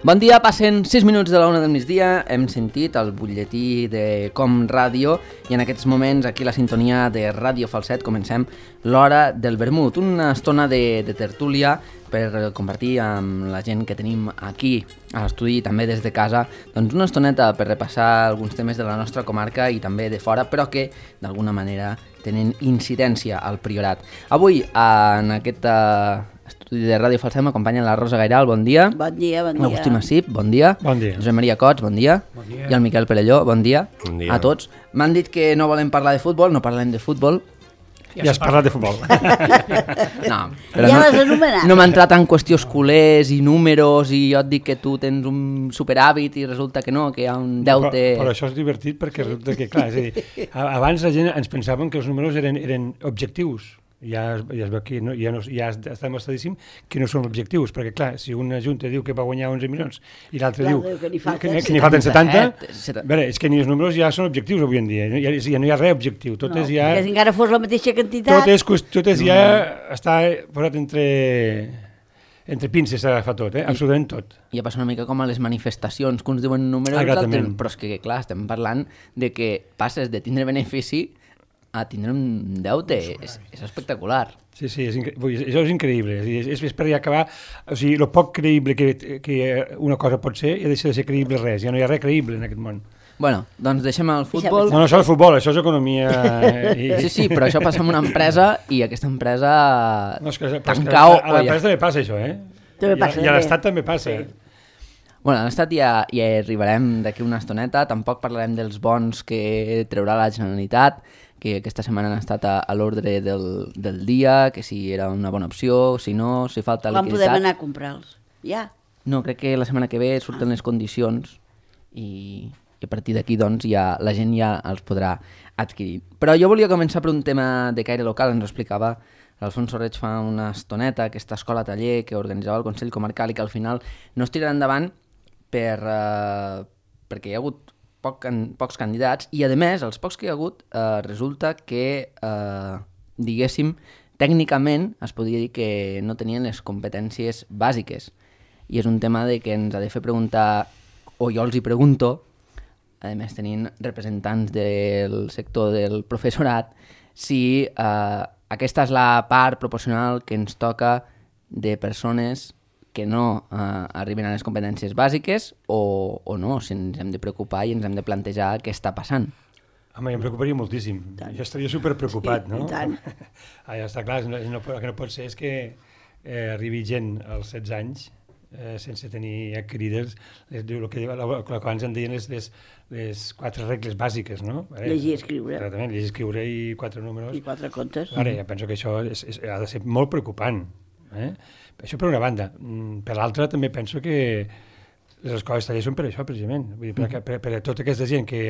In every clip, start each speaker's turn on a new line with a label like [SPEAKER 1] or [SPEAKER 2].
[SPEAKER 1] Bon dia, passen 6 minuts de la 1 del migdia, hem sentit el butlletí de Com Ràdio i en aquests moments aquí a la sintonia de Ràdio Falset comencem l'hora del vermut, una estona de tertúlia per compartir amb la gent que tenim aquí a l'estudi i també des de casa, doncs una estoneta per repassar alguns temes de la nostra comarca i també de fora, però que d'alguna manera tenen incidència al Priorat. Avui en aquest estudi de Ràdio Falset m'acompanya la Rosa Gairal, bon dia.
[SPEAKER 2] Bon dia, bon dia.
[SPEAKER 1] L'Agustí Massip, bon dia.
[SPEAKER 3] Bon dia.
[SPEAKER 1] Josep Maria Cots, bon dia.
[SPEAKER 3] Bon dia.
[SPEAKER 1] I el Miquel Perelló, bon dia.
[SPEAKER 4] Bon dia.
[SPEAKER 1] A tots. M'han dit que no volem parlar de futbol, no parlem de futbol.
[SPEAKER 3] Ja has parlat de futbol.
[SPEAKER 1] No, però
[SPEAKER 2] Ja l'has anomenat.
[SPEAKER 1] no m'ha entrat en qüestions culers i números i jo et dic que tu tens un superhàbit i resulta que no, que hi ha un deute...
[SPEAKER 3] Però això és divertit perquè resulta que, clar, és a dir, abans la gent ens pensaven que els números eren objectius. Ja es veu que ja està demostradíssim que no són objectius, perquè clar, si una junta diu que va guanyar 11 milions i l'altre diu
[SPEAKER 2] que n'hi falten
[SPEAKER 3] que n'hi falten 70,
[SPEAKER 1] 70.
[SPEAKER 3] veure, és que ni els números ja són objectius avui en dia, ja no hi ha res objectiu, tot és ja...
[SPEAKER 2] Perquè si encara fos la mateixa quantitat...
[SPEAKER 3] Tot és ja està posat entre pinces fa tot, absolutament tot.
[SPEAKER 1] Ja passa una mica com a les manifestacions, que uns diuen números,
[SPEAKER 3] Exactament.
[SPEAKER 1] però és que, clar, estem parlant de que passes de tindre benefici a tindre un deute. És espectacular.
[SPEAKER 3] Sí, això és increïble. És per acabar... O sigui, el poc creïble que una cosa pot ser, ja deixa de ser creïble res. Ja no hi ha res creïble en aquest món.
[SPEAKER 1] Bueno, doncs deixem el futbol.
[SPEAKER 3] No, això és futbol, això és economia...
[SPEAKER 1] Sí, però això passa en una empresa i aquesta empresa
[SPEAKER 3] No, és que
[SPEAKER 1] tancar
[SPEAKER 3] a l'empresa també passa, això,
[SPEAKER 2] També passa,
[SPEAKER 3] I a l'Estat també passa.
[SPEAKER 1] Bueno, a l'Estat ja hi arribarem d'aquí una estoneta, tampoc parlarem dels bons que treurà la Generalitat, que aquesta setmana han estat a l'ordre del dia, que si era una bona opció, si no, si falta
[SPEAKER 2] Quan
[SPEAKER 1] liquiditat.
[SPEAKER 2] podem anar a comprar-los? Ja?
[SPEAKER 1] No, crec que la setmana que ve surten les condicions i a partir d'aquí doncs la gent ja els podrà adquirir. Però jo volia començar per un tema de caire local, ens ho explicava l'Alfonso Reig fa una estoneta, aquesta escola-taller que organitzava el Consell Comarcal i que al final no es tirarà endavant perquè hi ha hagut pocs candidats i, a més, els pocs que hi ha hagut resulta que, diguéssim, tècnicament es podria dir que no tenien les competències bàsiques. I és un tema de que ens ha de fer preguntar, o jo els hi pregunto, a més tenint representants del sector del professorat, si aquesta és la part proporcional que ens toca de persones que no arriben a les competències bàsiques o no, si ens hem de preocupar i ens hem de plantejar què està passant.
[SPEAKER 3] Home, em preocuparia moltíssim. Jo estaria superpreocupat, no?
[SPEAKER 2] I tant.
[SPEAKER 3] Ja està clar, el que no pot ser és que arribi gent als 16 anys sense tenir adquirides el que abans en deien les 4 regles bàsiques, no?
[SPEAKER 2] Llegir i escriure.
[SPEAKER 3] Exactament, llegir i escriure i 4 números.
[SPEAKER 2] I 4 contes.
[SPEAKER 3] Ara, ja penso que això ha de ser molt preocupant. Això per una banda. Per l'altra també penso que les escoles tallers són per això, precisament. Vull dir, per a tota aquesta gent que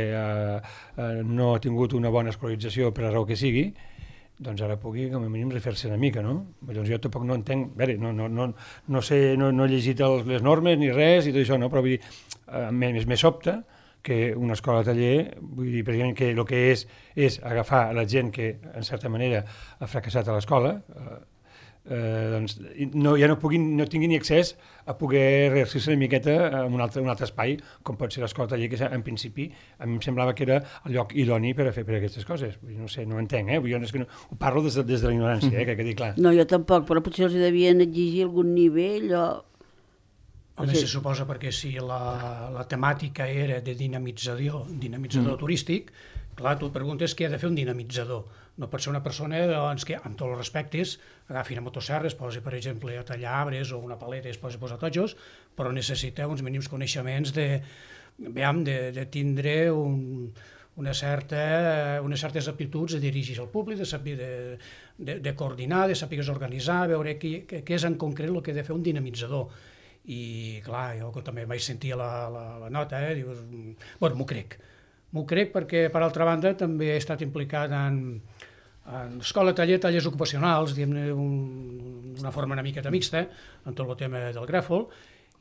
[SPEAKER 3] no ha tingut una bona escolarització per la raó que sigui, doncs ara pugui com a mínim refer-se una mica, no? Llavors jo tampoc no entenc, no sé, no he llegit les normes ni res i tot això, no? Però vull dir, me sobta que una escola taller, vull dir, precisament que el que és agafar la gent que en certa manera ha fracassat a l'escola, doncs no tingui ni accés a poder rearcir-se una miqueta en un altre espai, com pot ser l'escola taller, que en principi a mi em semblava que era el lloc idoni per a fer aquestes coses. No sé, no ho entenc, jo és que ho parlo des de la ignorància, que quedi clar.
[SPEAKER 2] No, jo tampoc, però potser els devien exigir algun nivell o...
[SPEAKER 5] Home, se suposa perquè si la temàtica era de dinamitzador turístic, clar, tu et preguntes què ha de fer un dinamitzador. No pot ser una persona doncs, que, amb tots els respectes, agafi una motosserra, es posi, per exemple, a tallar arbres o una paleta i es posi a posar totxos, però necessita uns mínims coneixements de tindre unes certes aptituds de dirigir el públic, de saber de coordinar, de saber organitzar, veure què és en concret el que ha de fer un dinamitzador. I, clar, jo també vaig sentir la nota, dius, bueno, m'ho crec perquè, per altra banda, també he estat implicat en escola, tallers ocupacionals, diguem-ne d'una forma una miqueta mixta, en tot el tema del gràfol,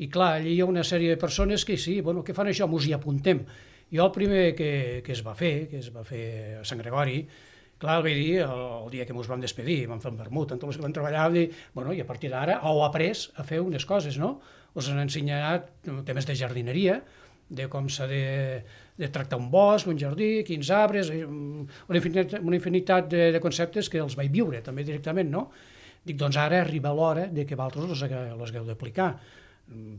[SPEAKER 5] i clar, allí hi ha una sèrie de persones que sí, bueno, què fan això? Mos hi apuntem. Jo el primer que es va fer a Sant Gregori, Clar, el vaig dir el dia que ens vam despedir, vam fer un vermut, amb tots els que vam treballar, i a partir d'ara heu après a fer unes coses, no? Us han ensenyat temes de jardineria, de com s'ha de tractar un bosc, un jardí, quins arbres, una infinitat de conceptes que els vaig viure també directament, no? Dic, doncs ara arriba l'hora de que vosaltres els hagueu d'aplicar.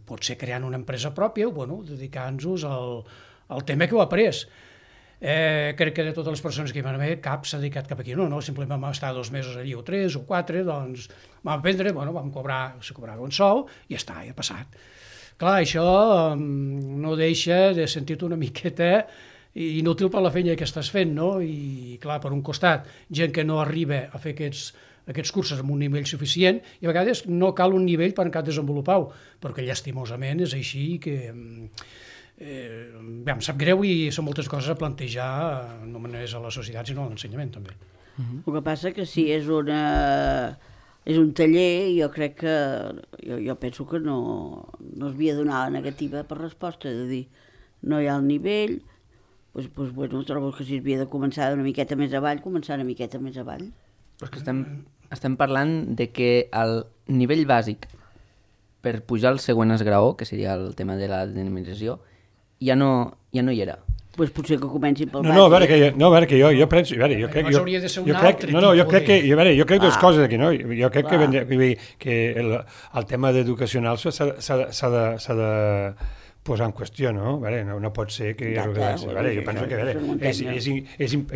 [SPEAKER 5] Potser creant una empresa pròpia o dedicant-nos al tema que heu après. Crec que de totes les persones que hi van haver, cap s'ha dedicat cap aquí, no, simplement vam estar 2 mesos allí o 3 o 4, doncs vam aprendre, vam cobrar, se cobrava un sou i ja està, ja ha passat. Clar, això no deixa de sentir-te una miqueta inútil per la feina que estàs fent, no? I clar, per un costat, gent que no arriba a fer aquests cursos amb un nivell suficient i a vegades no cal un nivell per encara desenvolupar-ho, perquè llastimosament és així que em sap greu i són moltes coses a plantejar no només a la societat sinó a l'ensenyament també.
[SPEAKER 2] El que passa que si és un taller, jo crec que jo penso que no es havia de donar la negativa per resposta, de dir no hi ha el nivell, trobo que si havia de començar una miqueta més avall, començar una miqueta més avall.
[SPEAKER 1] Però és que estem parlant de que el nivell bàsic per pujar al següent esgraó, que seria el tema de la dinamització, ja no hi era.
[SPEAKER 2] Doncs potser que comencin pel bàsic.
[SPEAKER 3] No, a veure, que jo penso... Jo crec dues coses aquí, no? Jo crec que el tema d'educacional s'ha de posar en qüestió, no? No pot ser que... Jo penso que...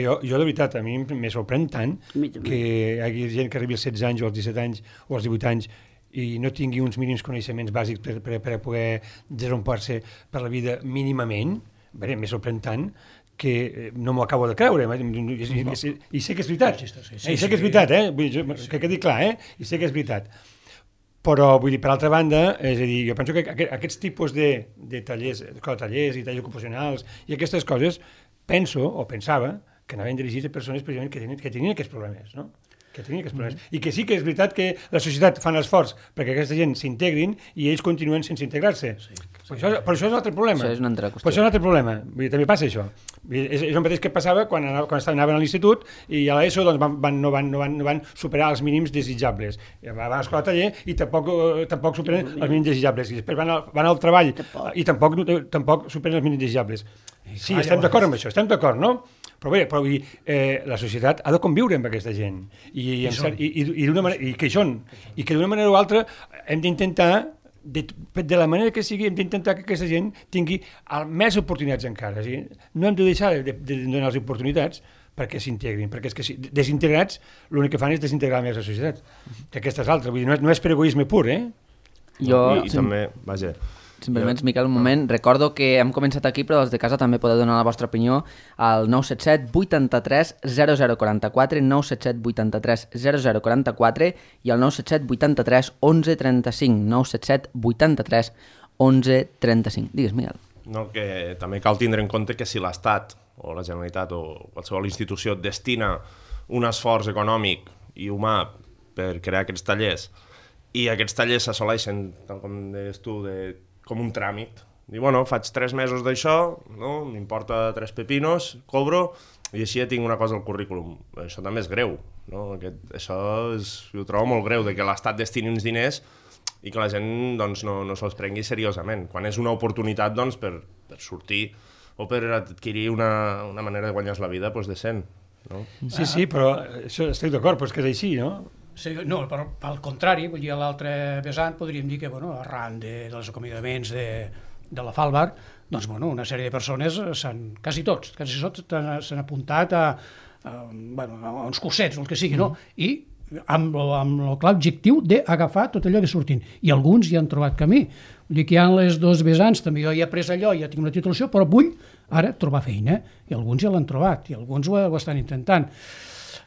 [SPEAKER 3] Jo, de veritat, a mi me sorprèn tant que hi hagi gent que arribi als 16 anys o als 17 anys o als 18 anys i no tingui uns mínims coneixements bàsics per poder desenvolupar-se per la vida mínimament. M'he sorprèn tant que no m'ho acabo de creure. I sé que és veritat. I sé que és veritat, que quedi clar, i sé que és veritat. Però, vull dir, per altra banda, és a dir, jo penso que aquests tipus de tallers i tallers ocupacionals i aquestes coses, pensava que anaven dirigits a persones precisament que tenien aquests problemes, no? I que sí que és veritat que la societat fa l'esforç perquè aquesta gent s'integrin i ells continuen sense integrar-se. Però això és un altre problema.
[SPEAKER 1] Això és una altra qüestió.
[SPEAKER 3] Però això és un altre problema. Vull dir, també passa això. És el mateix que passava quan anaven a l'institut i a l'ESO doncs, no van superar els mínims desitjables. Van a l'escola taller i tampoc superen els mínims desitjables. I després van al treball i tampoc superen els mínims desitjables. Sí, estem d'acord amb això, no? Però bé, la societat ha de conviure amb aquesta gent i que hi són i que d'una manera o altra hem d'intentar de la manera que sigui hem d'intentar que aquesta gent tingui més oportunitats encara. No hem de deixar de donar les oportunitats perquè s'integrin, perquè és que desintegrats l'únic que fan és desintegrar més la societat, que aquesta és l'altra, vull dir, no és per egoisme pur,
[SPEAKER 4] I també, vaja...
[SPEAKER 1] Si em permets, Miquel, un moment, recordo que hem començat aquí, però els de casa també podeu donar la vostra opinió al 977 83 0044, 977 83 0044 i al 977 83 11 35, 977 83 11 35. Digues, Miquel.
[SPEAKER 4] No, que també cal tindre en compte que si l'Estat o la Generalitat o qualsevol institució destina un esforç econòmic i humà per crear aquests tallers i aquests tallers s'assoleixen, tal com deies tu, com un tràmit. Dir, faig 3 mesos d'això, no? M'importa 3 pepinos, cobro, i així ja tinc una cosa al currículum. Això també és greu, no? Jo ho trobo molt greu, de que l'Estat destini uns diners i que la gent doncs, no se'ls prengui seriosament. Quan és una oportunitat doncs, per sortir o per adquirir una manera de guanyar la vida doncs, decent. No?
[SPEAKER 3] Sí, però això estic d'acord, però és que és així, no?
[SPEAKER 5] Sí, no, però al contrari, vull dir, a l'altre vessant podríem dir que, arran dels acomiadaments de la Falbar, doncs, una sèrie de persones, quasi tots s'han apuntat a uns cursets, o el que sigui, no? I amb el clar objectiu d'agafar tot allò que surtin. I alguns hi han trobat camí. Vull dir que hi ha les dos vessants, també jo ja he après allò, ja tinc una titulació, però vull ara trobar feina. I alguns ja l'han trobat, i alguns ho estan intentant.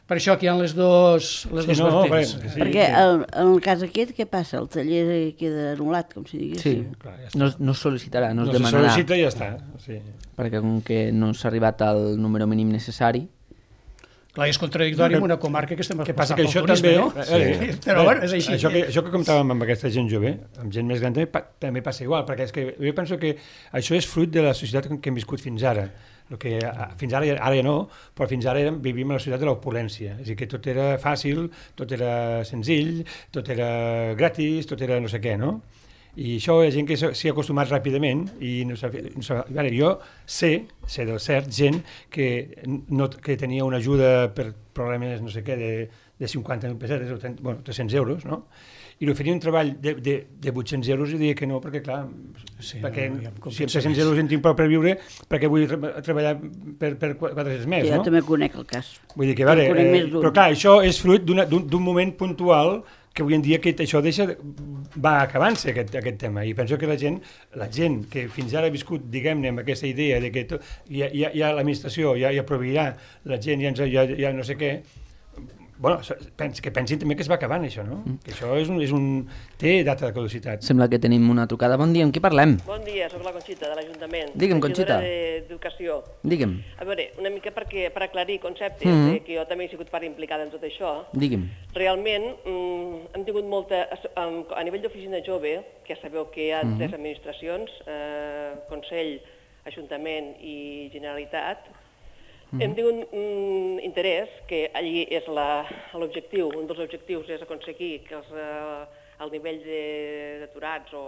[SPEAKER 5] Per això que hi ha les dos vertents.
[SPEAKER 2] Perquè en el cas aquest, què passa? El taller queda anul·lat, com si digués.
[SPEAKER 1] Sí, no es sol·licitarà, no es demanarà.
[SPEAKER 3] No se sol·licita i ja està. Sí.
[SPEAKER 1] Perquè com que no s'ha arribat al número mínim necessari...
[SPEAKER 5] Clar, és contradictori amb una comarca que estem
[SPEAKER 3] exportant pel turisme, no?
[SPEAKER 5] Però és així.
[SPEAKER 3] Això que comentàvem amb aquesta gent jove, amb gent més gran, també passa igual, perquè és que jo penso que això és fruit de la societat que hem viscut fins ara. el que fins ara ja no, però fins ara vivíem a la societat de l'opulència, és a dir, que tot era fàcil, tot era senzill, tot era gratis, tot era no sé què, no? I això hi ha gent que s'hi ha acostumat ràpidament i veure, jo sé del cert gent que tenia una ajuda per problemes no sé què de 50.000 pessetes o 300 euros, no? I li oferia un treball de 800 euros i deia que no, perquè clar, perquè si amb 300 euros en tinc prou per viure, perquè vull treballar per 400 més, no?
[SPEAKER 2] Jo també conec el cas.
[SPEAKER 3] Vull dir que, però clar, això és fruit d'un moment puntual que avui en dia això va acabant-se, aquest tema, i penso que la gent que fins ara ha viscut, diguem-ne, amb aquesta idea de que ja l'administració ja proveirà, la gent ja no sé què, bueno, que pensin també que es va acabant això, no? Que això té data de caducitat.
[SPEAKER 1] Sembla que tenim una trucada. Bon dia, amb qui parlem?
[SPEAKER 6] Bon dia, soc la Conxita, de l'Ajuntament.
[SPEAKER 1] Digue'm, Conxita.
[SPEAKER 6] D'Educació.
[SPEAKER 1] Digue'm.
[SPEAKER 6] A veure, una mica per aclarir conceptes, que jo també he sigut part implicada en tot això.
[SPEAKER 1] Digue'm.
[SPEAKER 6] Realment, hem tingut molta... A nivell d'oficina jove, que ja sabeu que hi ha 3 administracions, Consell, Ajuntament i Generalitat, hem tingut interès, que allí és l'objectiu, un dels objectius és aconseguir que el nivell d'aturats o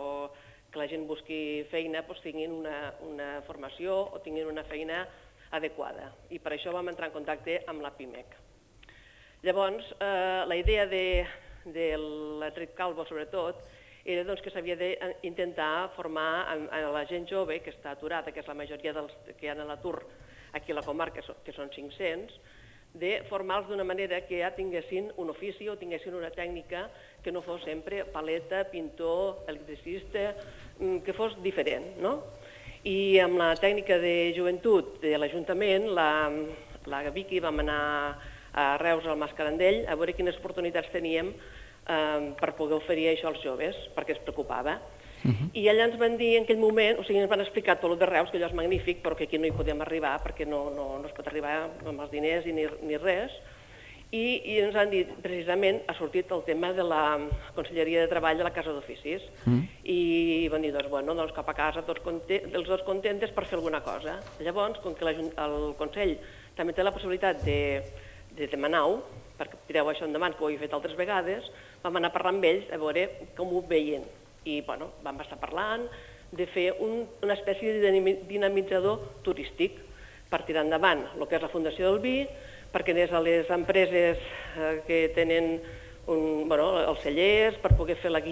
[SPEAKER 6] que la gent busqui feina tinguin una formació o tinguin una feina adequada. I per això vam entrar en contacte amb la PIMEC. Llavors, la idea de la Trit Calvo, sobretot, era que s'havia d'intentar formar a la gent jove que està aturada, que és la majoria dels que hi ha a l'atur aquí a la comarca, que són 500, de formar-los d'una manera que ja tinguessin un ofici o tinguessin una tècnica que no fos sempre paleta, pintor, electricista, que fos diferent, no? I amb la tècnica de joventut de l'Ajuntament, la Vicky, vam anar a Reus, al Mas Carandell, a veure quines oportunitats teníem per poder oferir això als joves, perquè es preocupava. I allà ens van dir en aquell moment, o sigui, ens van explicar tot el de Reus, que allò és magnífic, però que aquí no hi podem arribar perquè no es pot arribar amb els diners ni res. I ens han dit, precisament, ha sortit el tema de la Conselleria de Treball de la Casa d'Oficis. I van dir, doncs cap a casa, els dos contentes per fer alguna cosa. Llavors, com que el Consell també té la possibilitat de demanar-ho, perquè tireu això endavant, que ho he fet altres vegades, vam anar a parlar amb ells a veure com ho veien. I vam estar parlant de fer una espècie de dinamitzador turístic per tirar endavant el que és la Fundació del Vi, perquè anés a les empreses que tenen els cellers, per poder fer la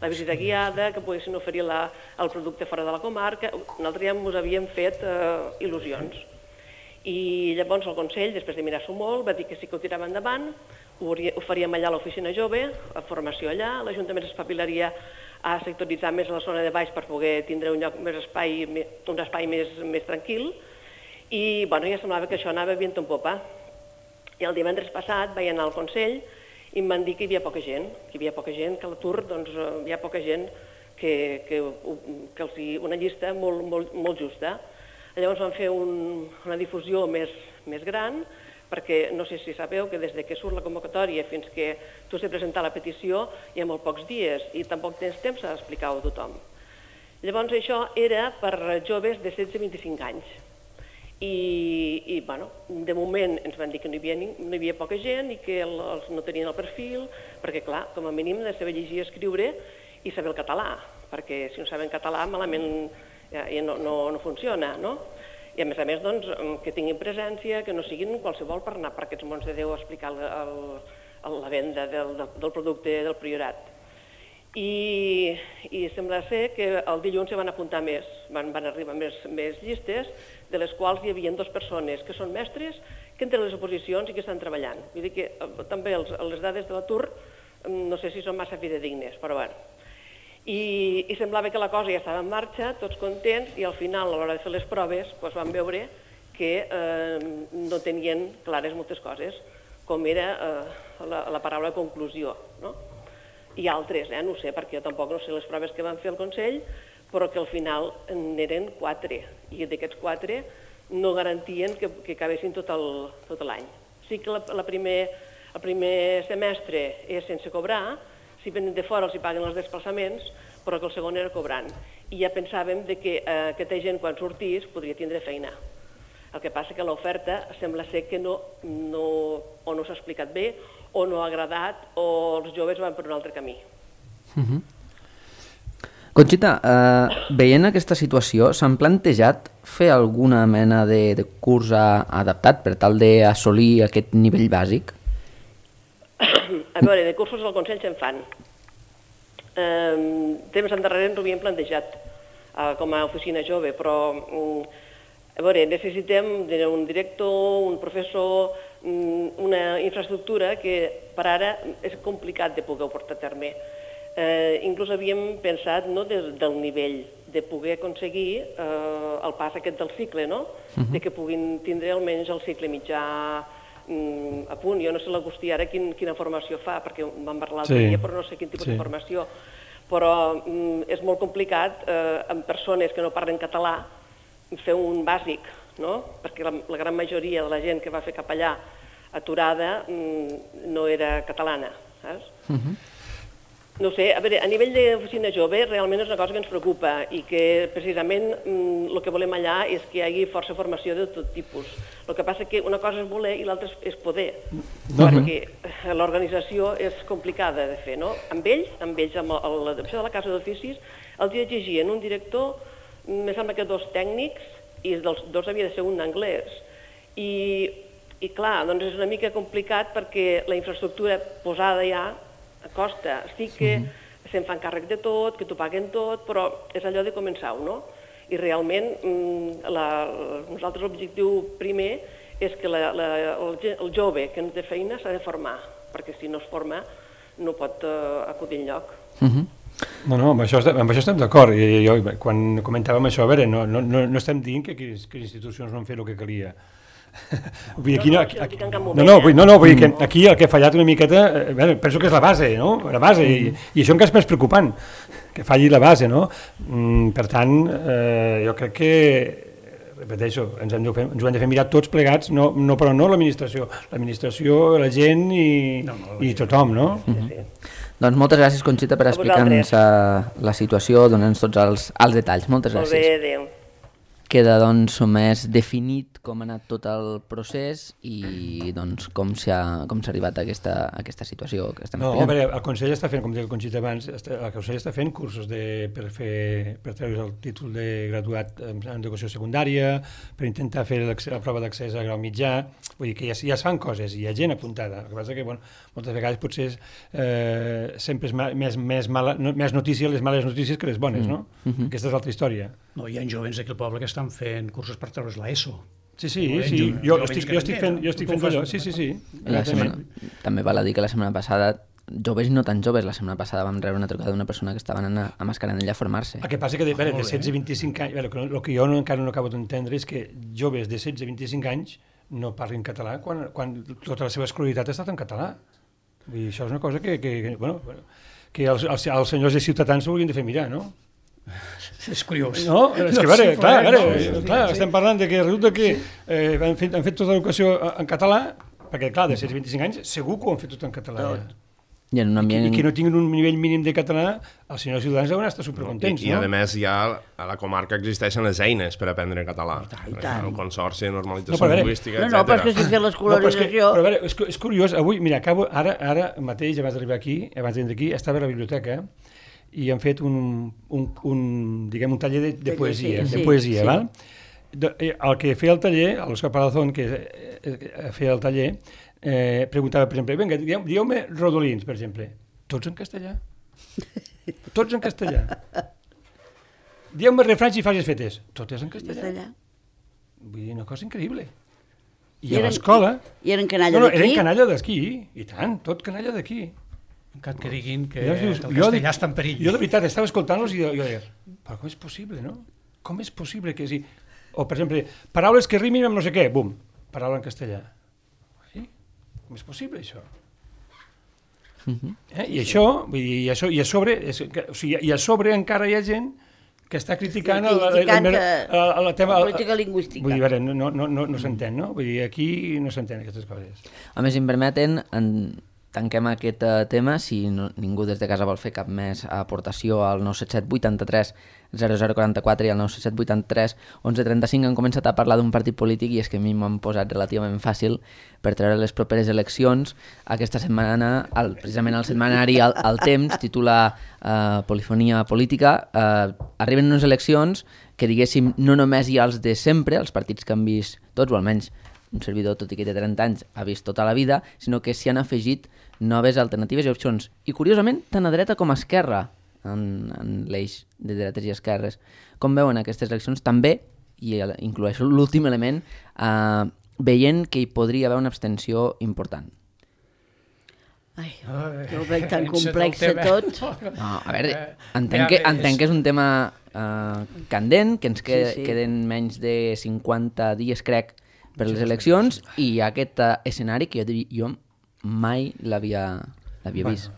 [SPEAKER 6] visita guiada, que poguessin oferir el producte fora de la comarca. Nosaltres ja ens havíem fet il·lusions. I llavors el Consell, després de mirar-s'ho molt, va dir que sí que ho tirava endavant, ho faríem allà a l'oficina jove, a formació allà, l'Ajuntament s'espavilaria a sectoritzar més la zona de baix per poder tindre un espai més tranquil, i ja semblava que això anava vient en popa. I el divendres passat vaig anar al Consell i em van dir que hi havia poca gent, que a l'atur hi ha poca gent, que una llista molt justa. Llavors vam fer una difusió més gran, perquè no sé si sabeu que des que surt la convocatòria fins que tu has de presentar la petició hi ha molt pocs dies i tampoc tens temps a explicar-ho a tothom. Llavors això era per joves de 16 a 25 anys. I de moment ens van dir que no hi havia poca gent i que no tenien el perfil, perquè clar, com a mínim de saber llegir i escriure i saber el català, perquè si no saben català malament ja no funciona, no? I a més, que tinguin presència, que no siguin qualsevol per anar per aquests mons de Déu a explicar la venda del producte del Priorat. I sembla ser que el dilluns se van apuntar més, van arribar més llistes, de les quals hi havia 2 persones que són mestres, que entren a les oposicions i que estan treballant. Vull dir que també les dades de l'atur no sé si són massa fidedignes, però bé. I semblava que la cosa ja estava en marxa, tots contents, i al final, a l'hora de fer les proves, vam veure que no tenien clares moltes coses, com era la paraula conclusió. I altres, no ho sé, perquè jo tampoc no sé les proves que van fer al Consell, però que al final n'eren 4, i d'aquests 4 no garantien que acabessin tot l'any. Sí que el primer semestre és sense cobrar, si venen de fora els hi paguen els desplaçaments, però que el segon era cobrant. I ja pensàvem que aquesta gent, quan sortís, podria tindre feina. El que passa que l'oferta sembla ser que no s'ha explicat bé, o no ha agradat, o els joves van per un altre camí.
[SPEAKER 1] Conxita, veient aquesta situació, s'han plantejat fer alguna mena de curs adaptat per tal d'assolir aquest nivell bàsic?
[SPEAKER 6] A veure, de cursos al Consell se'n fan. Temps endarrere ens ho havíem plantejat com a oficina jove, però a veure, necessitem un director, un professor, una infraestructura que per ara és complicat de poder portar a terme. Inclús havíem pensat del nivell de poder aconseguir el pas aquest del cicle, no? De que puguin tindre almenys el cicle mitjà a punt. Jo no sé l'Agustí ara quina formació fa, perquè vam parlar l'altre dia, però no sé quin tipus de formació. Però és molt complicat amb persones que no parlen català fer un bàsic, no? Perquè la gran majoria de la gent que va fer capellà aturada no era catalana, saps? No sé, a veure, a nivell d'oficina jove realment és una cosa que ens preocupa i que precisament el que volem allà és que hi hagi força formació de tot tipus. El que passa que una cosa és voler i l'altra és poder, perquè l'organització és complicada de fer, no? Amb ells, amb l'adopció de la casa d'oficis, els exigien un director, me sembla que 2 tècnics, i dels 2 havia de ser un d'anglès. I clar, doncs és una mica complicat perquè la infraestructura posada ja costa. Estic que se'n fan càrrec de tot, que t'ho paguen tot, però és allò de començar-ho, no? I realment nosaltres l'objectiu primer és que el jove que no té feina s'ha de formar, perquè si no es forma no pot acudir enlloc.
[SPEAKER 3] No, amb això estem d'acord. Jo, quan comentàvem això, a veure, no estem dient que les institucions no han fet el que calia. Vull dir, vull dir que aquí el que ha fallat una miqueta, penso que és la base, no? La base, i això encara és més preocupant, que falli la base, no? Per tant, jo crec que, repeteixo, ens ho hem de fer mirar tots plegats, però no l'administració, la gent i tothom, no?
[SPEAKER 1] Doncs moltes gràcies, Conxita, per explicar-nos la situació, donant-nos tots els detalls. Moltes gràcies.
[SPEAKER 6] Molt bé, adéu.
[SPEAKER 1] Queda doncs més definit com ha anat tot el procés i doncs com s'ha arribat a aquesta situació que estem explicant.
[SPEAKER 3] No, a veure, el Consell està fent, com deia el Conxita abans, el Consell està fent cursos per treure el títol de graduat en educació secundària, per intentar fer la prova d'accés a grau mitjà, vull dir que ja es fan coses, hi ha gent apuntada. El que passa que moltes vegades potser sempre és més notícia les males notícies que les bones, no? Aquesta és l'altra història.
[SPEAKER 5] No, hi ha jovents d'aquí al poble que estan fent cursos per treure's l'ESO.
[SPEAKER 3] Sí, jo estic fent allò, sí.
[SPEAKER 1] També val a dir que la setmana passada, joves i no tan joves, la setmana passada vam rebre una trucada d'una persona que estava anant a Mascaranella a formar-se.
[SPEAKER 3] El que passa que de 16 a 25 anys, el que jo encara no acabo d'entendre és que joves de 16 a 25 anys no parlin català quan tota la seva escolaritat ha estat en català. I això és una cosa que els senyors de Ciutadans s'ho haurien de fer mirar, no?
[SPEAKER 5] És curiós.
[SPEAKER 3] No, és que, clar, estem parlant de que resulta que han fet tota l'educació en català, perquè, clar, de 16 a 25 anys segur que ho han fet tot en català.
[SPEAKER 1] I que
[SPEAKER 3] no tinguin un nivell mínim de català, els senyors ciutadans deuen estar supercontents, no?
[SPEAKER 4] I a més ja a la comarca existeixen les eines per aprendre català. El Consorci de Normalització Lingüística, etc.
[SPEAKER 2] No, però és que si fer l'escolarització...
[SPEAKER 3] Però a veure, és curiós, avui, mira, acabo, ara mateix, abans d'arribar aquí, abans d'entrar aquí, estava a la biblioteca i han fet un taller de poesia, val? El que feia el taller, l'Òscar Palazón, que feia el taller, preguntava, per exemple, vinga, dieu-me rodolins, per exemple. Tots en castellà. Tots en castellà. Dieu-me refranys i frases fetes. Totes en castellà. Vull dir, una cosa increïble. I a l'escola...
[SPEAKER 2] I eren canalla d'aquí?
[SPEAKER 3] Eren canalla d'aquí, i tant, tot canalla d'aquí.
[SPEAKER 5] Encara que diguin que el castellà està en perill.
[SPEAKER 3] Jo de veritat estava escoltant-los i jo deia, però com és possible, no? Com és possible que sí? O, per exemple, paraules que rimin amb no sé què, bum, paraula en castellà. Com és possible, això? I això, i a sobre encara hi ha gent que està criticant la
[SPEAKER 2] política lingüística.
[SPEAKER 3] Vull dir, no s'entén, no? Vull dir, aquí no s'entén aquestes coses.
[SPEAKER 1] A més, si em permeten, tanquem aquest tema. Si ningú des de casa vol fer cap més aportació al 977 83 0044 i al 977 83 1135 han començat a parlar d'un partit polític i és que a mi m'han posat relativament fàcil per treure les properes eleccions. Aquesta setmana, precisament el setmanari El Temps titula Polifonia política. Arriben unes eleccions que, diguéssim, no només hi ha els de sempre, els partits que han vist tots, o almenys un servidor, tot i que té 30 anys, ha vist tota la vida, sinó que s'hi han afegit noves alternatives i opcions. I, curiosament, tant a dreta com a esquerra, en l'eix de dretes i esquerres. Com veuen aquestes eleccions? També, i incloeixo l'últim element, veient que hi podria haver una abstenció important.
[SPEAKER 2] Ai, que ho veig tan complex tot.
[SPEAKER 1] No, a veure, entenc que és un tema candent, que ens queden menys de 50 dies, crec, per les eleccions, i aquest escenari que jo mai l'havia vist.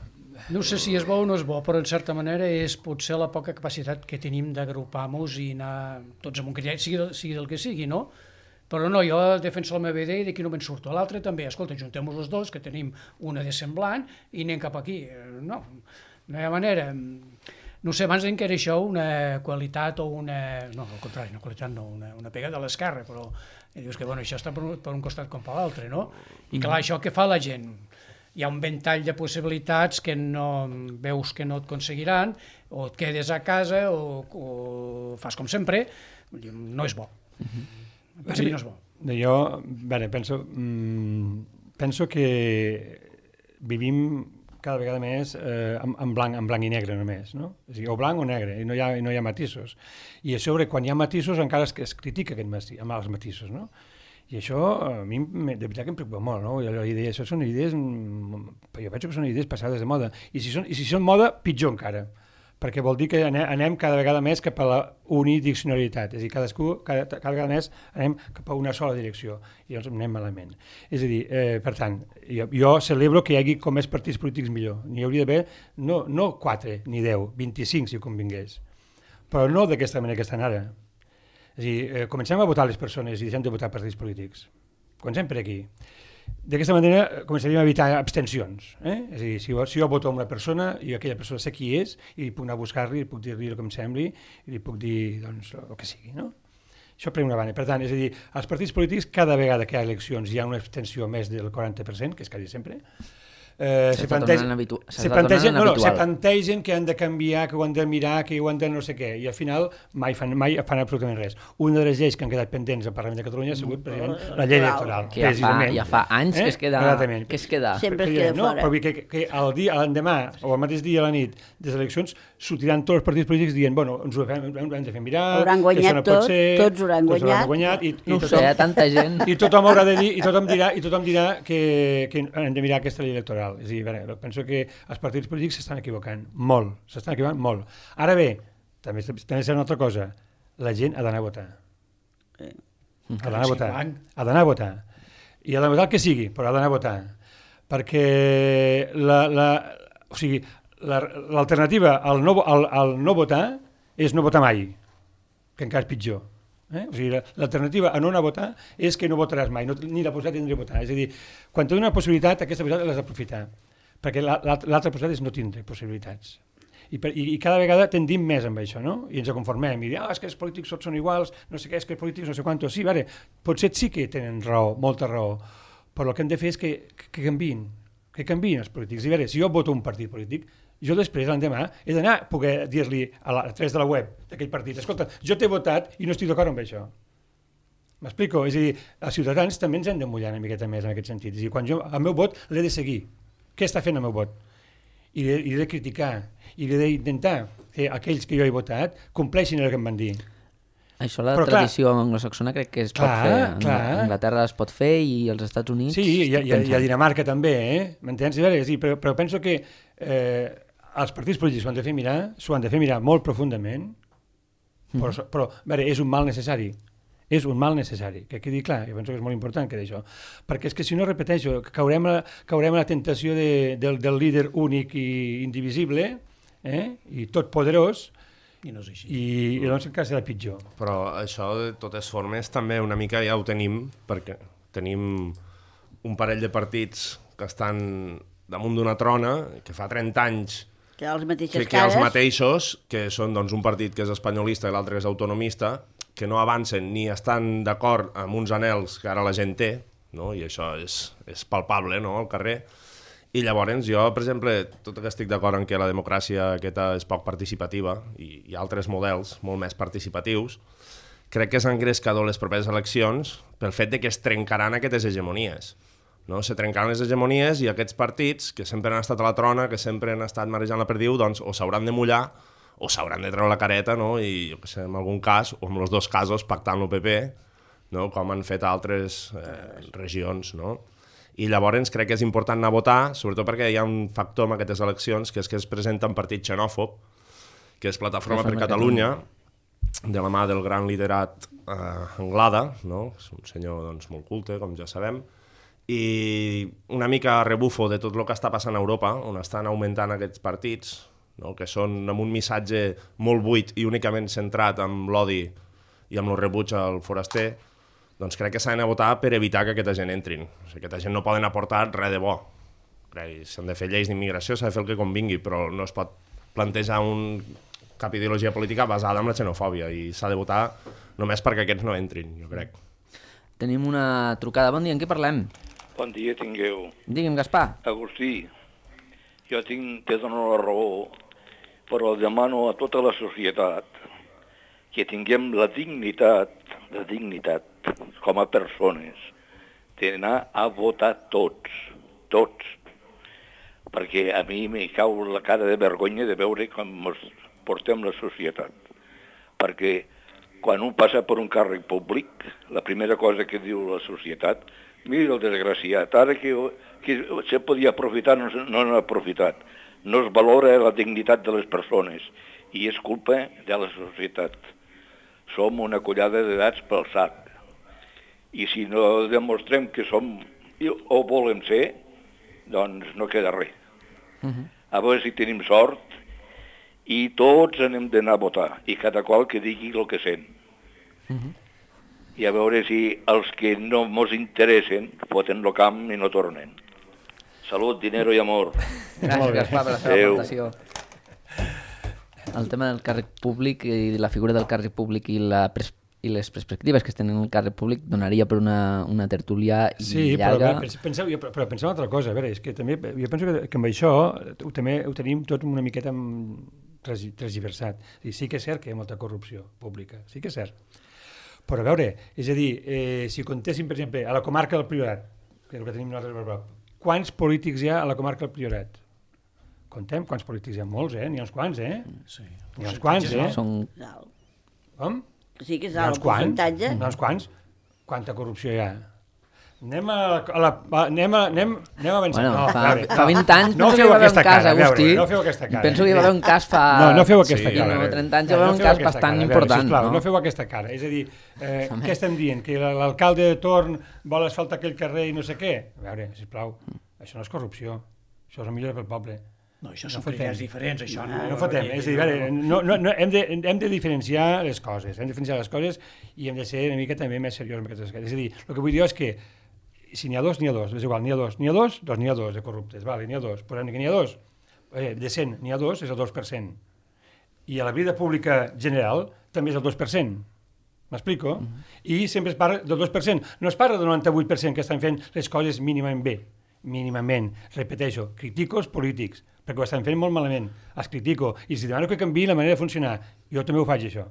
[SPEAKER 5] No sé si és bo o no és bo, però en certa manera és potser la poca capacitat que tenim d'agrupar-nos i anar tots amb un criteri, sigui del que sigui, no? Però no, jo defenso la meva idea i d'aquí no me'n surto. L'altre també, escolta, juntem-nos els dos, que tenim una de semblant, i anem cap aquí. No hi ha manera. No sé, abans que era això una qualitat o una... No, al contrari, una qualitat no, una pega de l'esquerra, però dius que bueno, això està per un costat com per l'altre, no? I clar, això què fa la gent? Hi ha un ventall de possibilitats que no veus que no et aconseguiran, o et quedes a casa o fas com sempre. No és bo. Penso que no és bo.
[SPEAKER 3] Jo, penso que vivim cada vegada més en blanc i negre només, no? És a dir, o blanc o negre, i no hi ha matisos. I a sobre, quan hi ha matisos, encara es critica amb els matisos, no? I això, a mi, de veritat que em preocupa molt, no? Això són idees, jo penso que són idees passades de moda. I si són moda, pitjor encara. Perquè vol dir que anem cada vegada més cap a la unidiccionalitat, és a dir, cada vegada més anem cap a una sola direcció, i llavors anem malament. És a dir, per tant, jo celebro que hi hagi com més partits polítics millor. N'hi hauria d'haver no 4 ni 10, 25 si convingués, però no d'aquesta manera que estan ara. És a dir, comencem a votar les persones i deixem de votar partits polítics. Comencem per aquí. D'aquesta manera començaríem a evitar abstencions. És a dir, si jo voto una persona i aquella persona sé qui és i puc anar a buscar-li, puc dir-li el que em sembli i li puc dir doncs, el que sigui. No? Això per una banda. Per tant, és a dir, als partits polítics cada vegada que hi ha eleccions hi ha una abstenció més del 40%, que és quasi sempre. Se plantegen que han de canviar, que ho han de mirar, que ho han de no sé què, i al final mai fan absolutament res. Una de les lleis que han quedat pendents al Parlament de Catalunya ha sigut precisament la llei electoral.
[SPEAKER 1] Que ja fa anys que es queda.
[SPEAKER 2] Sempre es queda fora.
[SPEAKER 3] Però que l'endemà o el mateix dia a la nit de les eleccions sortiran tots els partits polítics dient ens ho hem de fer mirar,
[SPEAKER 2] hauran guanyat tots hauran guanyat.
[SPEAKER 1] No ho sé, tanta gent.
[SPEAKER 3] I tothom haurà de dir, i tothom dirà que hem de mirar aquesta llei electoral. És a dir, penso que els partits polítics s'estan equivocant molt. Ara bé, també és una altra cosa, la gent ha d'anar a votar. Ha d'anar a votar. I ha d'anar a votar el que sigui, però ha d'anar a votar. Perquè l'alternativa al no votar és no votar mai, que encara és pitjor. O sigui, l'alternativa a no anar a votar és que no votaràs mai, ni la possibilitat tindré a votar. És a dir, quan tens una possibilitat, aquesta possibilitat l'has d'aprofitar, perquè l'altra possibilitat és no tindre possibilitats. I cada vegada tendim més amb això, no? I ens conformem, i és que els polítics tots són iguals, no sé què, és que els polítics no sé quantos. Sí, potser sí que tenen raó, molta raó, però el que hem de fer és que canviïn els polítics. I si jo voto un partit polític, jo després, l'endemà, he d'anar a poder dir-li a través de la web d'aquell partit, escolta, jo t'he votat i no estic d'acord amb això. M'explico? És a dir, els ciutadans també ens hem de mullar una miqueta més en aquest sentit. És a dir, quan jo el meu vot l'he de seguir. Què està fent el meu vot? I l'he de criticar. I l'he d'intentar que aquells que jo he votat compleixin el que em van dir.
[SPEAKER 1] Això la tradició anglosaxona crec que es pot fer. A Anglaterra es pot fer i als Estats Units...
[SPEAKER 3] Sí, i a Dinamarca també, m'entens? Però penso que els partits polítics s'ho han de fer mirar molt profundament, però és un mal necessari. És un mal necessari, que quedi clar, jo penso que és molt important que d'això, perquè és que si no, repeteixo, caurem a la tentació del líder únic i indivisible, i tot poderós,
[SPEAKER 5] i no és així.
[SPEAKER 3] I doncs encara serà pitjor.
[SPEAKER 4] Però això, de totes formes, també una mica ja ho tenim, perquè tenim un parell de partits que estan damunt d'una trona que fa 30 anys
[SPEAKER 2] Que els mateixes
[SPEAKER 4] que els
[SPEAKER 2] cares...
[SPEAKER 4] mateixos, que són doncs, un partit que és espanyolista i l'altre que és autonomista, que no avancen ni estan d'acord amb uns anels que ara la gent té, no? I això és palpable, no?, al carrer. I llavors jo, per exemple, tot que estic d'acord en que la democràcia aquesta és poc participativa i hi ha altres models molt més participatius, crec que és engrescador les properes eleccions pel fet de que es trencaran aquestes hegemonies. No? Se trencaran les hegemonies i aquests partits, que sempre han estat a la trona, que sempre han estat marejant la perdiu, doncs o s'hauran de mullar o s'hauran de treure la careta, no? I jo què sé, en algun cas, o en els dos casos, pactant el PP, no? Com han fet altres regions. No? I llavors crec que és important anar a votar, sobretot perquè hi ha un factor en aquestes eleccions, que és que es presenta un partit xenòfob, que és Plataforma per Catalunya, de la mà del gran liderat Anglada, no? És un senyor doncs, molt culte, com ja sabem, i una mica rebufo de tot el que està passant a Europa, on estan augmentant aquests partits, no? Que són amb un missatge molt buit i únicament centrat en l'odi i amb el rebuig al foraster, doncs crec que s'ha d'anar a votar per evitar que aquesta gent entrin. O sigui, aquesta gent no poden aportar res de bo. S'han de fer lleis d'immigració, s'ha de fer el que convingui, però no es pot plantejar cap ideologia política basada en la xenofòbia i s'ha de votar només perquè aquests no entrin, jo crec.
[SPEAKER 1] Tenim una trucada. Bon dia, en què parlem?
[SPEAKER 7] Bon dia tingueu.
[SPEAKER 1] Digui'm, Gaspar.
[SPEAKER 7] Agustí, jo te dono la raó, però demano a tota la societat que tinguem la dignitat com a persones d'anar a votar tots, perquè a mi me cau la cara de vergonya de veure com ens portem la societat, perquè quan un passa per un càrrec públic, la primera cosa que diu la societat, mira el desgraciat, ara que se podia aprofitar no n'ha aprofitat. No es valora la dignitat de les persones i és culpa de la societat. Som una collada d'edats pel sac. I si no demostrem que som o volem ser, doncs no queda res. A veure si tenim sort i tots anem d'anar a votar i cada qual que digui el que sent. I a veure si els que no ens interessen foten el camp i no tornen. Salut, dinero i amor.
[SPEAKER 1] Gràcies, Gaspar, per la seva aportació. El tema del càrrec públic i la figura del càrrec públic i les perspectives que es tenen en el càrrec públic donaria per una tertúlia llarga.
[SPEAKER 3] Sí, però penseu una altra cosa. A veure, és que també, jo penso que amb això també ho tenim tot una miqueta transversat. Sí que és cert que hi ha molta corrupció pública, sí que és cert. Però a veure, és a dir, si contéssim, per exemple, a la comarca del Priorat, que és el que tenim nosaltres a prop, quants polítics hi ha a la comarca del Priorat? Contem quants polítics hi ha? Molts, N'hi ha uns quants,
[SPEAKER 5] Sí.
[SPEAKER 3] N'hi ha uns quants,
[SPEAKER 1] Són...
[SPEAKER 3] Com?
[SPEAKER 2] Sí que és alt el percentatge.
[SPEAKER 3] N'hi ha uns quants? Quanta corrupció hi ha? Anem avançant.
[SPEAKER 1] Bueno, fa 20 anys penso que hi va haver un cas, Agustí.
[SPEAKER 3] No feu aquesta cara.
[SPEAKER 1] Penso que hi va haver un cas fa...
[SPEAKER 3] No feu aquesta cara.
[SPEAKER 1] No, 30 anys hi va haver un cas bastant important.
[SPEAKER 3] No feu aquesta cara. És a dir, què estem dient? Que l'alcalde de torn vol asfaltar aquell carrer i no sé què? A veure, sisplau, això no és corrupció. Això és el millor pel poble.
[SPEAKER 5] No, això són idees diferents, això no...
[SPEAKER 3] No fotem, és a dir, hem de diferenciar les coses, i hem de ser una mica també més seriosos amb aquestes coses. És a dir, el que vull dir és que si n'hi ha dos, és igual, n'hi ha dos de corruptes, vale, n'hi ha dos, posem que n'hi ha dos, de 100 n'hi ha dos, és el 2%, i a la vida pública general també és el 2%, m'explico? I sempre es parla del 2%, no es parla del 98% que estan fent les coses mínimament bé, repeteixo, critico els polítics, perquè ho estan fent molt malament, els critico, i si demano que canviï la manera de funcionar, jo també ho faig això.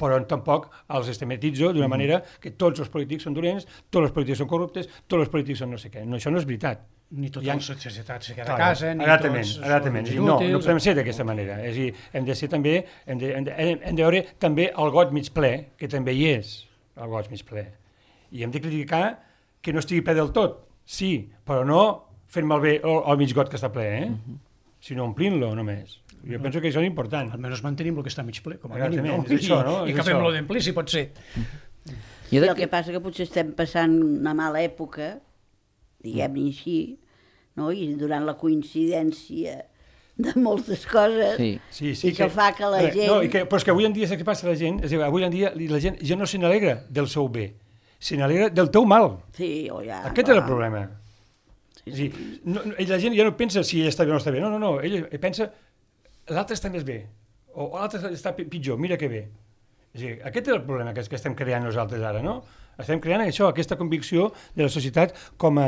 [SPEAKER 3] Però tampoc els estematitzo d'una manera que tots els polítics són dolents, tots els polítics són corruptes, tots els polítics són no sé què. No, això no és veritat.
[SPEAKER 5] Ni tota la societat se queda a casa, ni
[SPEAKER 3] tots
[SPEAKER 5] són inútils.
[SPEAKER 3] No podem ser d'aquesta manera. És a dir, hem de ser també, hem de veure també el got mig ple, que també hi és, el got mig ple. I hem de criticar que no estigui ple del tot, sí, però no fent malbé el mig got que està ple, sinó omplint-lo només. Jo penso que això és important.
[SPEAKER 5] Almenys mantenim el que està mig ple, com a mínim, no?
[SPEAKER 3] És això, no?
[SPEAKER 5] I acabem-lo d'emplir, si pot ser.
[SPEAKER 2] I el que passa que potser estem passant una mala època, diguem-ne així, no? I durant la coincidència de moltes coses, i que fa que la gent...
[SPEAKER 3] No, però és que avui en dia, saps què passa a la gent? És a dir, avui en dia la gent ja no se n'alegra del seu bé, se n'alegra del teu mal.
[SPEAKER 2] Sí, o ja...
[SPEAKER 3] Aquest és el problema. És a dir, la gent ja no pensa si ell està bé o no està bé. No, ell pensa l'altre està més bé, o l'altre està pitjor, mira que bé. És a dir, aquest és el problema que estem creant nosaltres ara, no? Estem creant això, aquesta convicció de la societat com a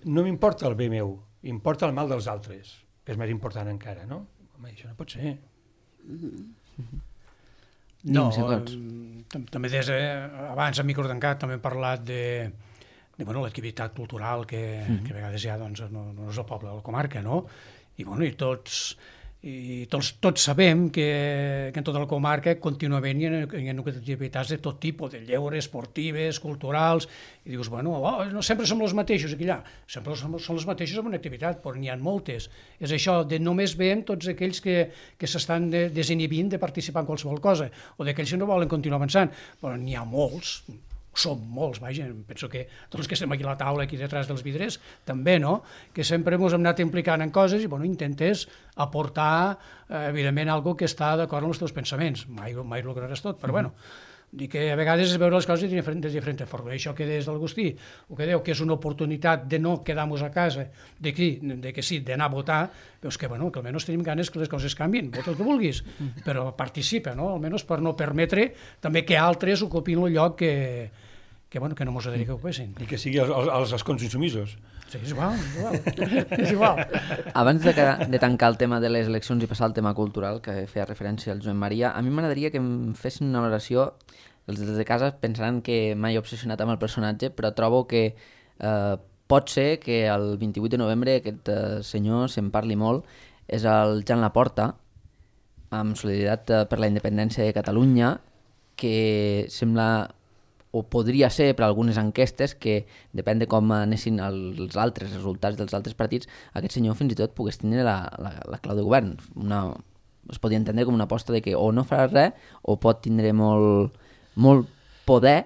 [SPEAKER 3] no m'importa el bé meu, importa el mal dels altres, que és més important encara, no? Home, això no pot ser.
[SPEAKER 5] No, també des abans a micro tancat també hem parlat de l'activitat cultural que a vegades ja doncs, no és el poble de la comarca, no? I tots sabem que en tota la comarca contínuament hi ha activitats de tot tipus, de lleure, esportives, culturals, i dius, no sempre som els mateixos aquí allà, sempre són els mateixos en una activitat, però n'hi ha moltes. És això, de només veiem tots aquells que s'estan desinhibint de participar en qualsevol cosa, o d'aquells que no volen continuar avançant, però n'hi ha molts, som molts, vaja, penso que tots els que estem aquí a la taula, aquí detrás dels vidres, també, no?, que sempre ens hem anat implicant en coses i, intentes aportar, evidentment, alguna que està d'acord amb els teus pensaments. Mai lograràs tot, però, dic que a vegades és veure les coses de diferent forma. Això que des d'Agustí, el que diu que és una oportunitat de no quedar-nos a casa, de que sí, d'anar a votar, veus que almenys tenim ganes que les coses canvien, vota el que vulguis, però participa, no?, almenys per no permetre també que altres ocupin el lloc que no mos agradaria que ocupessin.
[SPEAKER 3] I que sigui els escons insumisos.
[SPEAKER 5] Sí, és igual.
[SPEAKER 1] Abans de tancar el tema de les eleccions i passar al tema cultural, que feia referència al Joan Maria, a mi m'agradaria que em fessin una valoració. Els de casa pensaran que m'he obsessionat amb el personatge, però trobo que pot ser que el 28 de novembre aquest senyor se'n parli molt. És el Jan Laporta, amb Solidaritat per la Independència de Catalunya, que sembla, o podria ser per algunes enquestes, que depèn de com anessin els altres resultats dels altres partits, aquest senyor fins i tot pogués tindre la clau de govern. Es podia entendre com una aposta de que o no farà res o pot tindre molt poder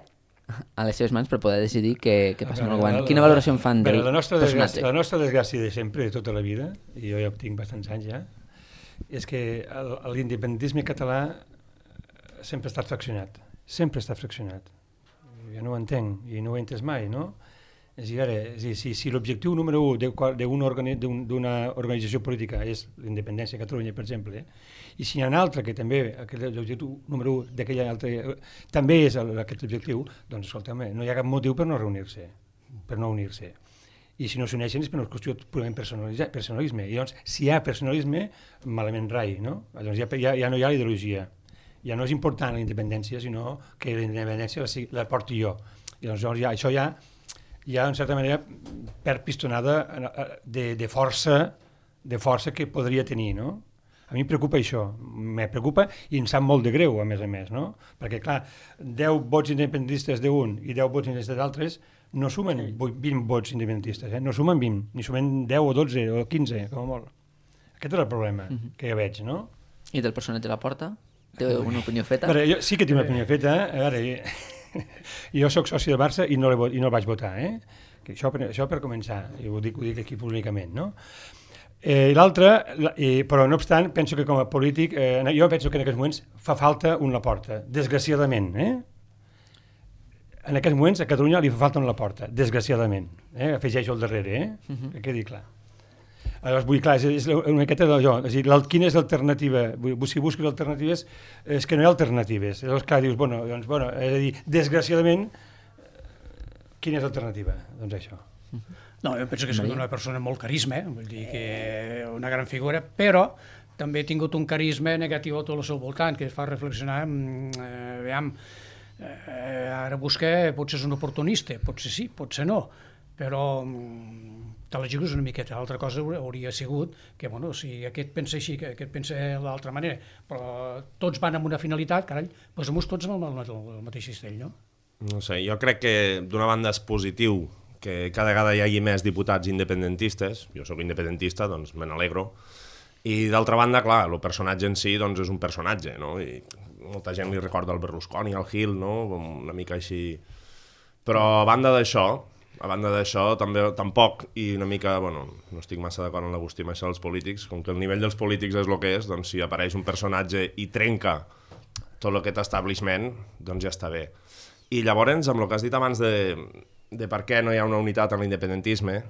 [SPEAKER 1] a les seves mans per poder decidir què passa amb el govern. Quina valoració en fan del personatge?
[SPEAKER 3] La nostra desgràcia de sempre, de tota la vida, i jo ja tinc bastants anys ja, és que l'independentisme català sempre ha estat fraccionat. Sempre ha estat fraccionat. Jo no ho entenc, i no ho he entès mai, no? És a dir, si l'objectiu número 1 d'una organització política és l'independència de Catalunya, per exemple, i si hi ha un altre que també, l'objectiu número 1 d'aquella altra, també és aquest objectiu, doncs, escolta'm, no hi ha cap motiu per no reunir-se, per no unir-se. I si no s'uneixen és per una qüestió purament personalisme. I doncs, si hi ha personalisme, malament rai, no? Llavors ja no hi ha ideologia. Ja no és important la independència, sinó que la independència la porti jo. I doncs això ja, en certa manera, perd pistonada de força que podria tenir, no? A mi em preocupa això, me preocupa i em sap molt de greu, a més, no? Perquè, clar, 10 vots independentistes d'un i 10 vots independentistes d'altres no sumen 20 vots independentistes, no sumen 20, ni sumen 10 o 12 o 15, com a molt. Aquest és el problema que jo veig, no?
[SPEAKER 1] I del personatge Laporta? Té una opinió feta?
[SPEAKER 3] Jo sí que tinc una opinió feta. Jo soc soci del Barça i no el vaig votar. Que això per començar, i ho dic aquí públicament. No? L'altre, però no obstant, penso que com a polític, jo penso que en aquests moments fa falta un Laporta, desgraciadament. En aquests moments a Catalunya li fa falta un Laporta, desgraciadament. Afegeixo al darrere, que quedi clar. Aleshores, vull dir, clar, és una miqueta d'allò, és a dir, quina és l'alternativa? Si busques alternatives, és que no hi ha alternatives. Llavors, clar, dius, és a dir, desgraciadament, quina és l'alternativa? Doncs això.
[SPEAKER 5] No, jo penso que és una persona amb molt carisma, vull dir que una gran figura, però també ha tingut un carisma negatiu a tot el seu voltant, que es fa reflexionar, aviam, ara busca, potser és un oportunista, potser sí, potser no, però te la jugues una miqueta. L'altra cosa hauria sigut que, si aquest pensa així, que aquest pensa de l'altra manera, però tots van amb una finalitat, carai, posem-nos tots amb el mateix cistell, no?
[SPEAKER 4] No sé, jo crec que d'una banda és positiu que cada vegada hi hagi més diputats independentistes, jo sóc independentista, doncs me n'alegro, i d'altra banda, clar, el personatge en si doncs és un personatge, no? I molta gent li recorda el Berlusconi, el Gil, no? Una mica així. Però a banda d'això, també tampoc, i una mica, no estic massa d'acord amb l'Agustí amb això dels polítics, com que el nivell dels polítics és el que és, doncs si apareix un personatge i trenca tot aquest establishment, doncs ja està bé. I llavors, amb el que has dit abans de per què no hi ha una unitat en l'independentisme,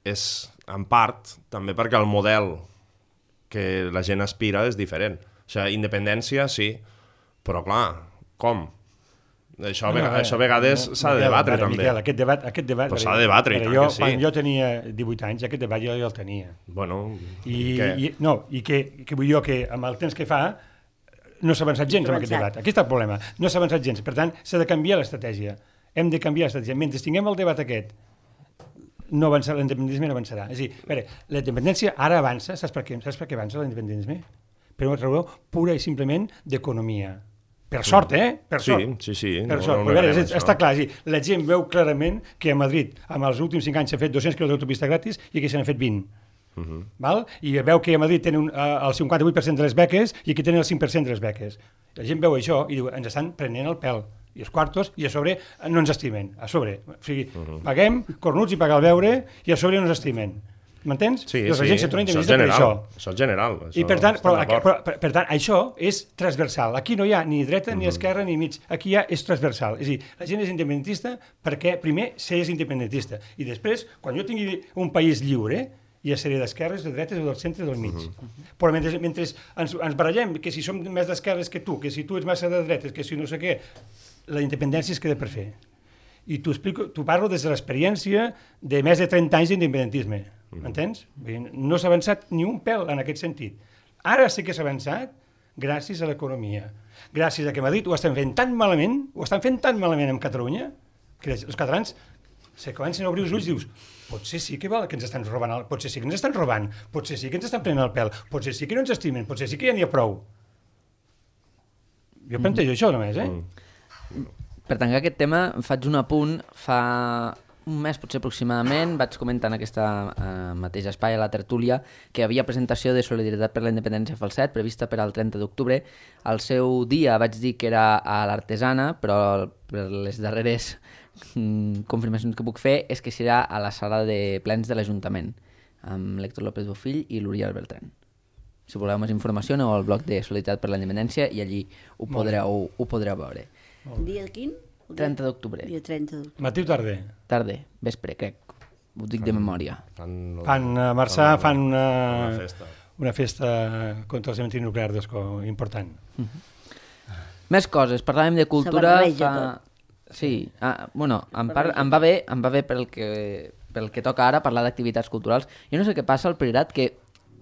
[SPEAKER 4] és, en part, també perquè el model que la gent aspira és diferent. O sigui, independència, sí, però clar, com? Això a vegades s'ha de debatre, també.
[SPEAKER 3] Miquel, aquest debat
[SPEAKER 4] però s'ha de debatre, i tant que sí.
[SPEAKER 3] Quan jo tenia 18 anys, aquest debat jo el tenia.
[SPEAKER 4] Bueno,
[SPEAKER 3] I vull dir jo que amb el temps que fa no s'ha avançat gens amb aquest debat. Aquí està el problema. No s'ha avançat gens. Per tant, s'ha de canviar l'estratègia. Hem de canviar l'estratègia. Mentre tinguem el debat aquest, no avançarà, l'independentisme no avançarà. És a dir, a veure, la independència ara avança, saps per què avança l'independentisme? Per una raó pura i simplement d'economia. Per sort, Per sort.
[SPEAKER 4] Sí.
[SPEAKER 3] Per sort. No veure, està clar, la gent veu clarament que a Madrid, amb els últims 5 anys s'ha fet 200 quilòmetres d'autopista gratis i aquí se n'han fet 20. Val? I veu que a Madrid tenen el 58% de les beques i aquí tenen el 5% de les beques. La gent veu això i diu, ens estan prenent el pèl. I els quartos, i a sobre no ens estimen. A sobre. O sigui, paguem cornuts i pagar el beure i a sobre no ens estimen. M'entens?
[SPEAKER 4] Sí,
[SPEAKER 3] la gent se torna independentista per això.
[SPEAKER 4] Això és general.
[SPEAKER 3] I per tant, per tant, això és transversal. Aquí no hi ha ni dreta, ni esquerra, ni mig. Aquí és transversal. És a dir, la gent és independentista perquè primer s'és independentista. I després, quan jo tingui un país lliure, hi ha sèrie d'esquerres, de dretes o del centre del mig. Però mentre ens barallem, que si som més d'esquerres que tu, que si tu ets massa de dretes, que si no sé què, la independència es queda per fer. I t'ho parlo des de l'experiència de més de 30 anys d'independentisme. M'entens? No s'ha avançat ni un pèl en aquest sentit. Ara sí que s'ha avançat gràcies a l'economia. Gràcies a que Madrid ho estan fent tan malament, amb Catalunya, que els catalans se comencen a obrir els ulls i dius, potser sí que ens estan robant, potser sí que ens estan robant, potser sí que ens estan prenent el pèl, potser sí que no ens estimen, potser sí que ja n'hi ha prou. Jo plantejo això només,
[SPEAKER 1] Per tancar aquest tema, faig un apunt. Fa un mes, potser aproximadament, vaig comentar en aquesta mateix espai, a la tertúlia, que hi havia presentació de Solidaritat per la Independència Falset, prevista per al 30 d'octubre. Al seu dia vaig dir que era a l'Artesana, però per les darreres confirmacions que puc fer és que serà a la sala de plens de l'Ajuntament, amb l'Héctor López Bofill i l'Oriol Bertran. Si voleu més informació, aneu al blog de Solidaritat per la Independència i allí ho podreu veure.
[SPEAKER 2] Dia quin?
[SPEAKER 1] 30 d'octubre.
[SPEAKER 2] Dia 30 d'octubre.
[SPEAKER 3] Matí o tarda?
[SPEAKER 1] Tarda, vespre, crec. Ho dic de memòria.
[SPEAKER 3] Fan a Marçà una festa contra el cementiri nuclear d'Escó, important.
[SPEAKER 1] Més coses, parlàvem de cultura. Sí, bueno, em va bé pel que toca ara parlar d'activitats culturals. Jo no sé què passa al Priorat, que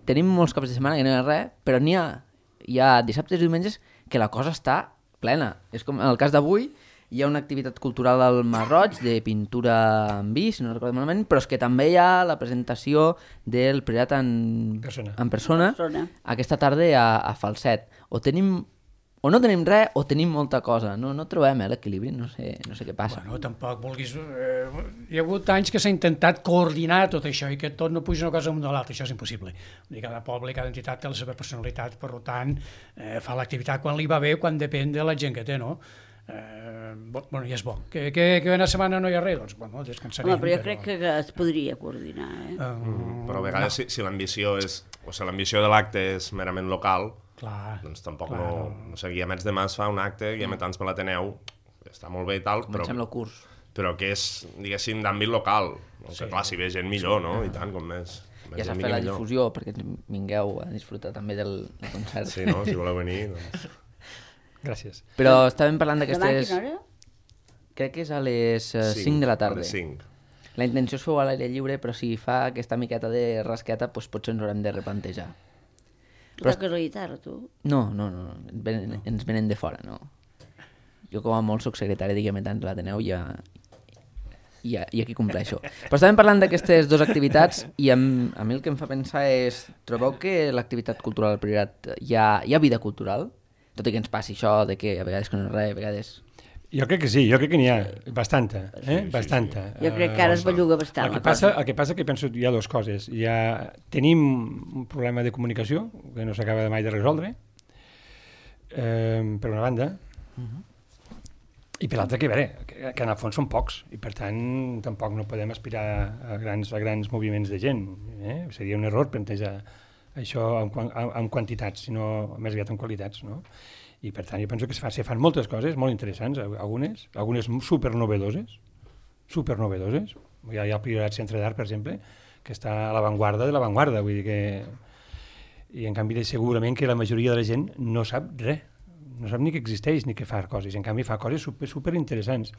[SPEAKER 1] tenim molts caps de setmana que no hi ha res, però hi ha dissabtes i diumenges que la cosa està plena. És com en el cas d'avui, hi ha una activitat cultural al Marroig de pintura en vi, si no recordo malament, però és que també hi ha la presentació del Priorat en persona aquesta tarda a Falset. O no tenim res o tenim molta cosa. No trobem l'equilibri, no sé què passa.
[SPEAKER 5] Bueno, tampoc vulguis... Hi ha hagut anys que s'ha intentat coordinar tot això i que tot no puja una cosa amb l'altra. Això és impossible. Cada poble, cada entitat té la seva personalitat, per tant, fa l'activitat quan li va bé, quan depèn de la gent que té, no? Bueno, ja és bo. Que una setmana no hi ha res, doncs, bueno, descansarem.
[SPEAKER 2] Home, però jo crec que es podria coordinar,
[SPEAKER 4] Però a vegades, si l'ambició de l'acte és merament local, doncs tampoc no sé, Guiamets de Mas fa un acte, Guiametans per l'Ateneu, està molt bé i tal, però que és, diguéssim, d'àmbit local. Que clar, si ve gent millor, no? I tant, com més.
[SPEAKER 1] Ja s'ha fet la difusió perquè vingueu a disfrutar també del concert.
[SPEAKER 4] Sí, no? Si voleu venir, doncs...
[SPEAKER 3] Gràcies.
[SPEAKER 1] Però estàvem parlant d'aquestes...
[SPEAKER 2] Demà, quina hora?
[SPEAKER 1] Crec que és a les 5 de la tarda.
[SPEAKER 4] A les 5.
[SPEAKER 1] La intenció és fer-ho a l'aire lliure, però si fa aquesta miqueta de rasqueta, doncs potser ens haurem de replantejar.
[SPEAKER 2] Toques la guitarra, tu?
[SPEAKER 1] No. Ens venen de fora, no. Jo com a molt soc secretari de Guiametans a l'Ateneu i aquí compleixo. Però estàvem parlant d'aquestes dues activitats i a mi el que em fa pensar és, trobeu que l'activitat cultural al Priorat hi ha vida cultural? Tot i que ens passi això de que a vegades que no és res, a vegades...
[SPEAKER 3] Jo crec que sí, jo crec que n'hi ha bastanta, bastanta.
[SPEAKER 2] Jo crec que ara es belluga bastant.
[SPEAKER 3] El que passa que penso que hi ha dues coses. Tenim un problema de comunicació que no s'acaba mai de resoldre, per una banda, i per l'altra que en el fons són pocs, i per tant tampoc no podem aspirar a grans moviments de gent. Seria un error plantejar això en quantitats, sinó més aviat en qualitats, no? I per tant jo penso que se fan moltes coses molt interessants, algunes supernovedoses. Hi ha el Priorat Centre d'Art, per exemple, que està a l'avantguarda de l'avantguarda, vull dir que... I en canvi segurament que la majoria de la gent no sap res, no sap ni que existeix ni que fa coses, i en canvi fa coses super interessants,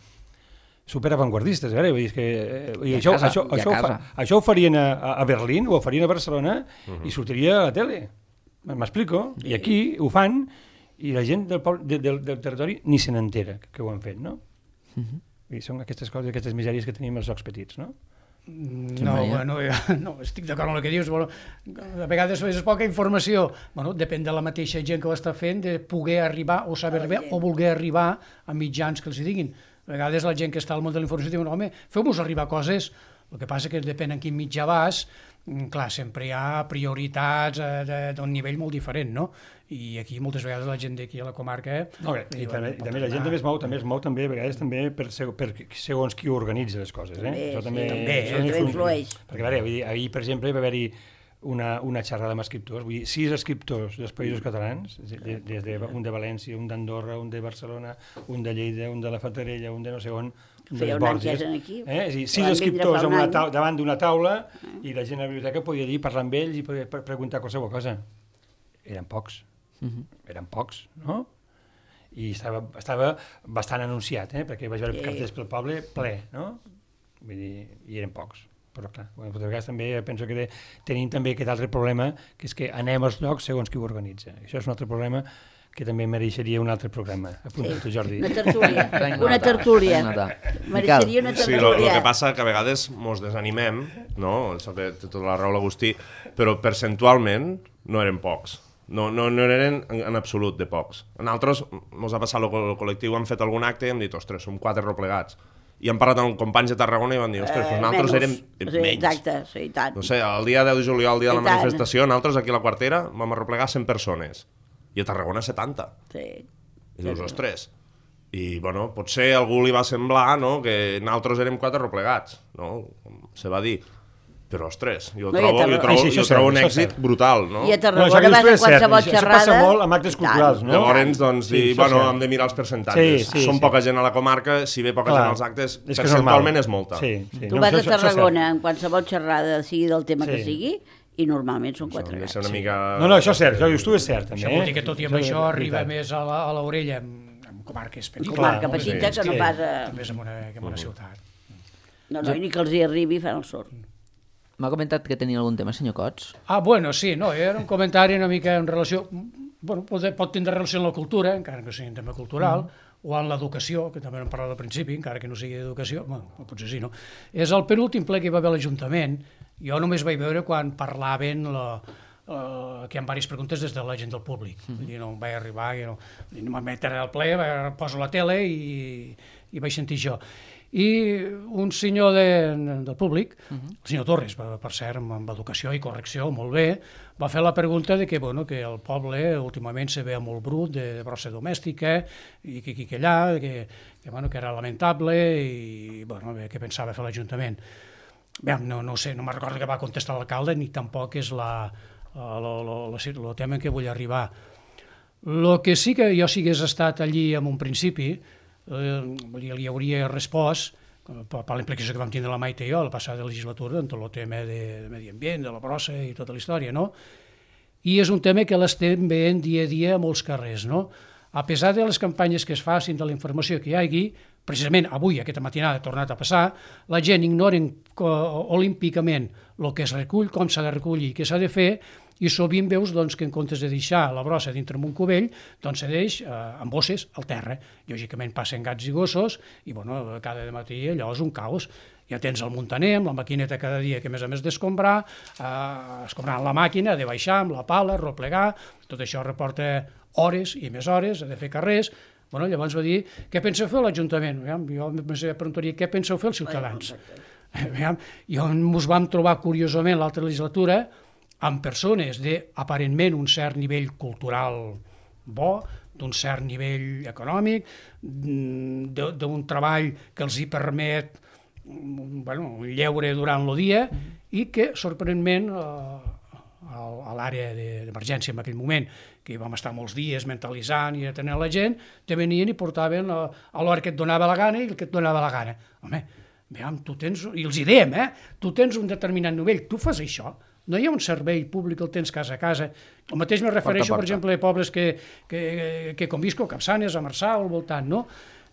[SPEAKER 3] super avantguardistes, vull dir que això ho farien a Berlín, ho farien a Barcelona i sortiria a la tele, m'explico, i aquí ho fan i la gent del territori ni se n'entera que ho han fet, no? I són aquestes coses, aquestes misèries que tenim als jocs petits, no?
[SPEAKER 5] No, estic d'acord amb el que dius. Bueno, a vegades és poca informació. Bueno, depèn de la mateixa gent que ho està fent, de poder arribar o saber arribar o voler arribar a mitjans que els diguin. A vegades la gent que està al món de la informació diu, home, feu-vos arribar coses. El que passa que depèn en quin mitjà vas, clar, sempre hi ha prioritats d'un nivell molt diferent, no? I aquí moltes vegades la gent d'aquí a la comarca...
[SPEAKER 3] I també la gent també es mou també a vegades també per segons qui organitza les coses, Això també
[SPEAKER 2] influeix.
[SPEAKER 3] Perquè, a veure, ahir, per exemple, va haver-hi una xerrada amb escriptors, vull dir, 6 escriptors dels països catalans, des un de València, un d'Andorra, un de Barcelona, un de Lleida, un de la Fatarella, un de no sé on,
[SPEAKER 2] feia un any que eren aquí.
[SPEAKER 3] És a dir, 6 escriptors davant d'una taula i la gent a la biblioteca podia dir, parlar amb ells i podia preguntar qualsevol cosa. Eren pocs, no? I estava bastant anunciat, perquè vaig veure cartells pel poble ple, no? Vull dir, i eren pocs. Però clar, a vegades també penso que tenim també aquest altre problema, que és que anem als llocs segons qui ho organitza. Això és un altre problema que també mereixeria un altre programa. Apunta tu, Jordi.
[SPEAKER 2] Una tertúlia. Mereixeria una tertúlia.
[SPEAKER 4] Sí, el que passa que a vegades mos desanimem, no? Això que té tota la raó l'Agustí, però percentualment no eren pocs. No eren en absolut de pocs. A nosaltres mos ha passat el col·lectiu, hem fet algun acte i hem dit, ostres, som 4 replegats. I hem parlat amb companys de Tarragona i van dir, ostres, però nosaltres érem menys.
[SPEAKER 2] Exacte, sí, tant.
[SPEAKER 4] No sé, el dia 10 de juliol, el dia de la manifestació, nosaltres aquí a la Quartera vam arreplegar 100 persones. I a Tarragona 70.
[SPEAKER 2] Sí.
[SPEAKER 4] I dius, ostres. I, bueno, potser a algú li va semblar, no?, que nosaltres érem 4 replegats, no?, se va dir. Però, ostres, jo trobo un èxit brutal, no?
[SPEAKER 2] I a Tarragona vas a qualsevol xerrada...
[SPEAKER 3] Això passa molt amb actes culturals, no?
[SPEAKER 4] Llavors, doncs, bueno, hem de mirar els percentatges. Som poca gent a la comarca, si ve poca gent als actes, percentualment és molta.
[SPEAKER 2] Tu vas a Tarragona en qualsevol xerrada, sigui del tema que sigui, i normalment són 4 gats.
[SPEAKER 3] No, això és cert, tu és cert, també.
[SPEAKER 5] Això vol dir que tot i amb això arriba més a l'orella en comarques petites.
[SPEAKER 2] Comarca petita que no pas a...
[SPEAKER 5] Més en una ciutat.
[SPEAKER 2] No, ni que els hi arribi fan el sort.
[SPEAKER 1] M'ha comentat que tenia algun tema, senyor Cots?
[SPEAKER 5] Bueno, sí, no, era un comentari una mica en relació... Bueno, pot tindre relació amb la cultura, encara que sigui un tema cultural, o amb l'educació, que també hem parlat al principi, encara que no sigui d'educació, bueno, potser sí, no? És el penúltim ple que hi va haver a l'Ajuntament. Jo només vaig veure quan parlaven que hi ha diverses preguntes des de la gent del públic. Vull dir, no em vaig arribar, no me'n vaig al ple, poso la tele i vaig sentir això. I un senyor del públic, el senyor Torres, per cert, amb educació i correcció, molt bé, va fer la pregunta de que el poble últimament se ve molt brut de brossa domèstica i que aquí que allà, que era lamentable i què pensava fer l'Ajuntament. No sé, no me'n recordo que va contestar l'alcalde ni tampoc és el tema en què vull arribar. El que sí que jo si hagués estat allí en un principi, li hauria respost per la implicació que vam tindre la Maite i jo la passada legislatura en tot el tema de medi ambient, de la brossa i tota la història, no? I és un tema que l'estem veient dia a dia a molts carrers, no? A pesar de les campanyes que es facin, de la informació que hi hagi, precisament avui, aquesta matinada, ha tornat a passar, la gent ignoren olímpicament el que es recull, com s'ha de recollir i què s'ha de fer, i sovint veus que en comptes de deixar la brossa dintre un cubell, doncs se deix amb bosses al terra. Lògicament passen gats i gossos i cada matí allò és un caos. Ja tens el muntaner amb la maquineta cada dia que a més d'escombrar, escombrant la màquina, de baixar amb la pala, replegar, tot això reporta hores i més hores, ha de fer carrers. Llavors va dir, què penseu fer l'Ajuntament? Jo em preguntaria, què penseu fer els ciutadans? I ens vam trobar curiosament l'altra legislatura amb persones d'aparentment un cert nivell cultural bo, d'un cert nivell econòmic, d'un treball que els hi permet lleure durant el dia i que, sorprenentment, a l'àrea d'emergència en aquell moment, que vam estar molts dies mentalitzant i atenent la gent, te venien i portaven a l'hora que et donava la gana i el que et donava la gana. Home, Aviam, tu tens, i els hi dèiem, tu tens un determinat nivell, tu fas això, no hi ha un servei públic, el tens casa a casa. El mateix me refereixo, per exemple, a pobles que convisco, Capçanes, a Marçà o al voltant, no?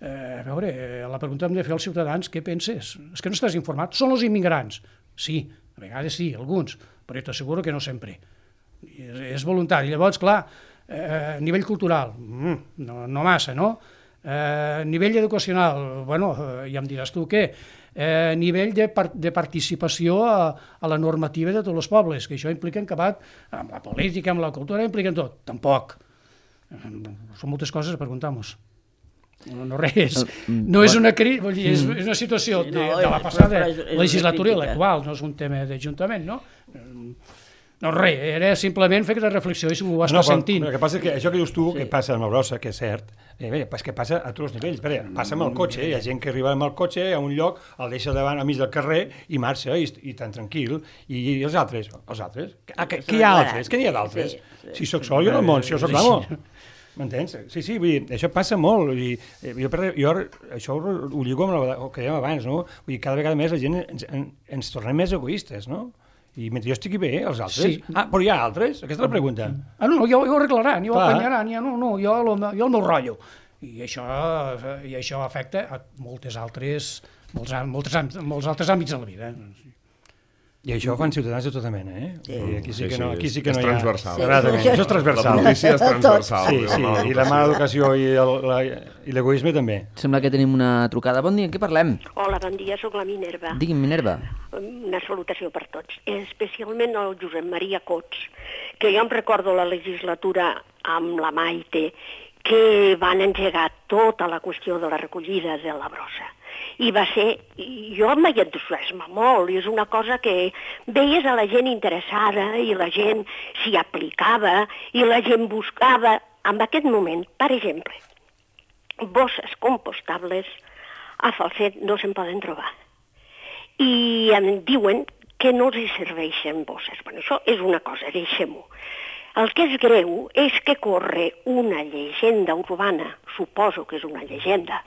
[SPEAKER 5] A veure, la pregunta hem de fer als ciutadans, què penses? És que no estàs informat. Són els immigrants? Sí, a vegades sí, alguns, però t'asseguro que no sempre. És voluntari. Llavors, clar, nivell cultural, no massa, no? Nivell educacional, bueno, ja em diràs tu què? Nivell de participació a la normativa de tots els pobles, que això implica acabat amb la política, amb la cultura, implica en tot. Tampoc. Són moltes coses a preguntar-nos. No res. No és una és una situació de la passada legislatura i l'actual, no és un tema d'Ajuntament, no? No, res, era simplement fer aquesta reflexió i si ho estàs sentint.
[SPEAKER 3] El que passa és que això que dius tu, que passa amb la brossa, que és cert, és que passa a tots els nivells. Passa amb el cotxe, hi ha gent que arriba amb el cotxe a un lloc, el deixa davant al mig del carrer i marxa, i tan tranquil. I els altres? Què hi ha altres? Què n'hi ha d'altres? Si sóc sol, jo no món, si jo sóc l'amo. M'entens? Sí, vull dir, això passa molt. Jo això ho lligo amb el que dèiem abans, no? Vull dir, cada vegada més la gent ens tornem més egoistes, no? I mentre jo estigui bé, els altres... Sí. Però hi ha altres? Aquesta és la pregunta.
[SPEAKER 5] No, ja ho arreglaran, ja ho apanyaran, jo el meu rotllo. I això afecta a molts altres àmbits de la vida.
[SPEAKER 3] I això ho fan ciutadans de tota mena,
[SPEAKER 4] Sí.
[SPEAKER 3] Aquí sí que no hi ha... És
[SPEAKER 4] transversal.
[SPEAKER 3] Això és transversal.
[SPEAKER 4] La notícia és transversal.
[SPEAKER 3] Sí, i la mala educació i l'egoisme també.
[SPEAKER 1] Sembla que tenim una trucada. Bon dia, en què parlem?
[SPEAKER 8] Hola, bon dia, sóc la Minerva.
[SPEAKER 1] Digui'm, Minerva.
[SPEAKER 8] Una salutació per tots, especialment al Josep Maria Cots, que jo em recordo la legislatura amb la Maite, que van engegar tota la qüestió de la recollida de la brossa. I va ser, jo em vaig entusiasmar molt, i és una cosa que veies a la gent interessada i la gent s'hi aplicava i la gent buscava. En aquest moment, per exemple, bosses compostables a Falset no se'n poden trobar. I em diuen que no els serveixen bosses. Bueno, això és una cosa, deixem-ho. El que és greu és que corre una llegenda urbana, suposo que és una llegenda,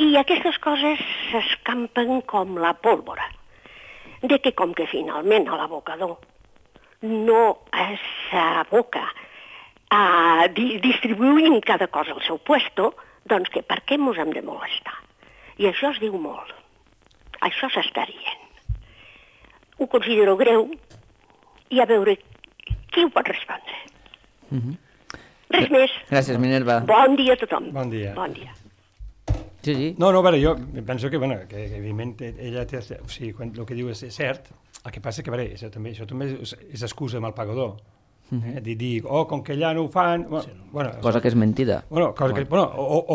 [SPEAKER 8] i aquestes coses s'escampen com la pólvora, de que com que finalment a l'abocador no s'aboca a distribuint cada cosa al seu puesto, doncs que per què ens hem de molestar? I això es diu molt. Això s'està dient. Ho considero greu i a veure qui ho pot respondre. Res més.
[SPEAKER 1] Gràcies, Minerva.
[SPEAKER 8] Bon dia a tothom.
[SPEAKER 3] Bon dia.
[SPEAKER 8] Bon dia.
[SPEAKER 1] Sí.
[SPEAKER 3] No, a veure, jo penso que evidentment ella té... O sigui, quan el que diu és cert, el que passa que, a veure, això també és excusa amb el pagador. Dir, com que allà no ho fan...
[SPEAKER 1] Cosa que és mentida.
[SPEAKER 3] O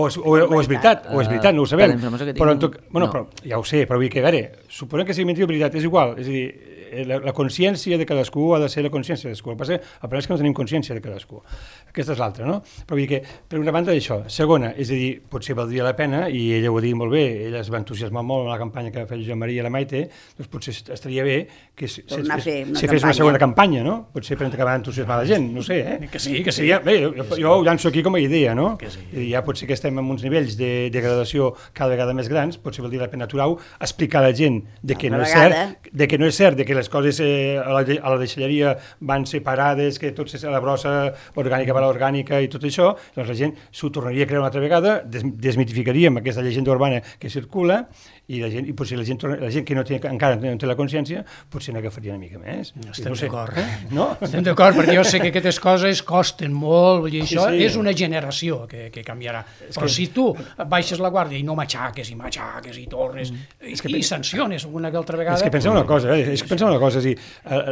[SPEAKER 3] és veritat, no ho sabem. Però ja ho sé, però vull dir que, a veure, suposem que sigui mentida o veritat, és igual, és a dir, la consciència de cadascú ha de ser la consciència de cadascú. El problema és que no tenim consciència de cadascú. Aquesta és l'altra, no? Però vull dir que, per una banda, d'això. Segona, és a dir, potser valdria la pena, i ella ho ha dit molt bé, ella es va entusiasmar molt en la campanya que va fer Josep Maria i la Maite, doncs potser estaria bé que se fes una segona campanya, no? Potser per acabar d'entusiasmar la gent, no sé,
[SPEAKER 5] Que sí.
[SPEAKER 3] Bé, jo ho llanço aquí com a idea, no? I ja potser que estem en uns nivells de degradació cada vegada més grans, potser valdria la pena aturar-ho, explicar a la gent que no és cert, que les coses a la deixalleria van separades, que tot és a la brossa orgànica per l'orgànica i tot això, doncs la gent s'ho tornaria a creure una altra vegada, desmitificaríem aquesta llegenda urbana que circula i potser la gent que encara no té la consciència potser n'agafaria una mica més.
[SPEAKER 5] Estem d'acord, no? Estem d'acord, perquè jo sé que aquestes coses costen molt, i això és una generació que canviarà. Però si tu baixes la guàrdia i no matxaques i tornes i sanciones una que altra vegada...
[SPEAKER 3] És que pensem una cosa, és a dir,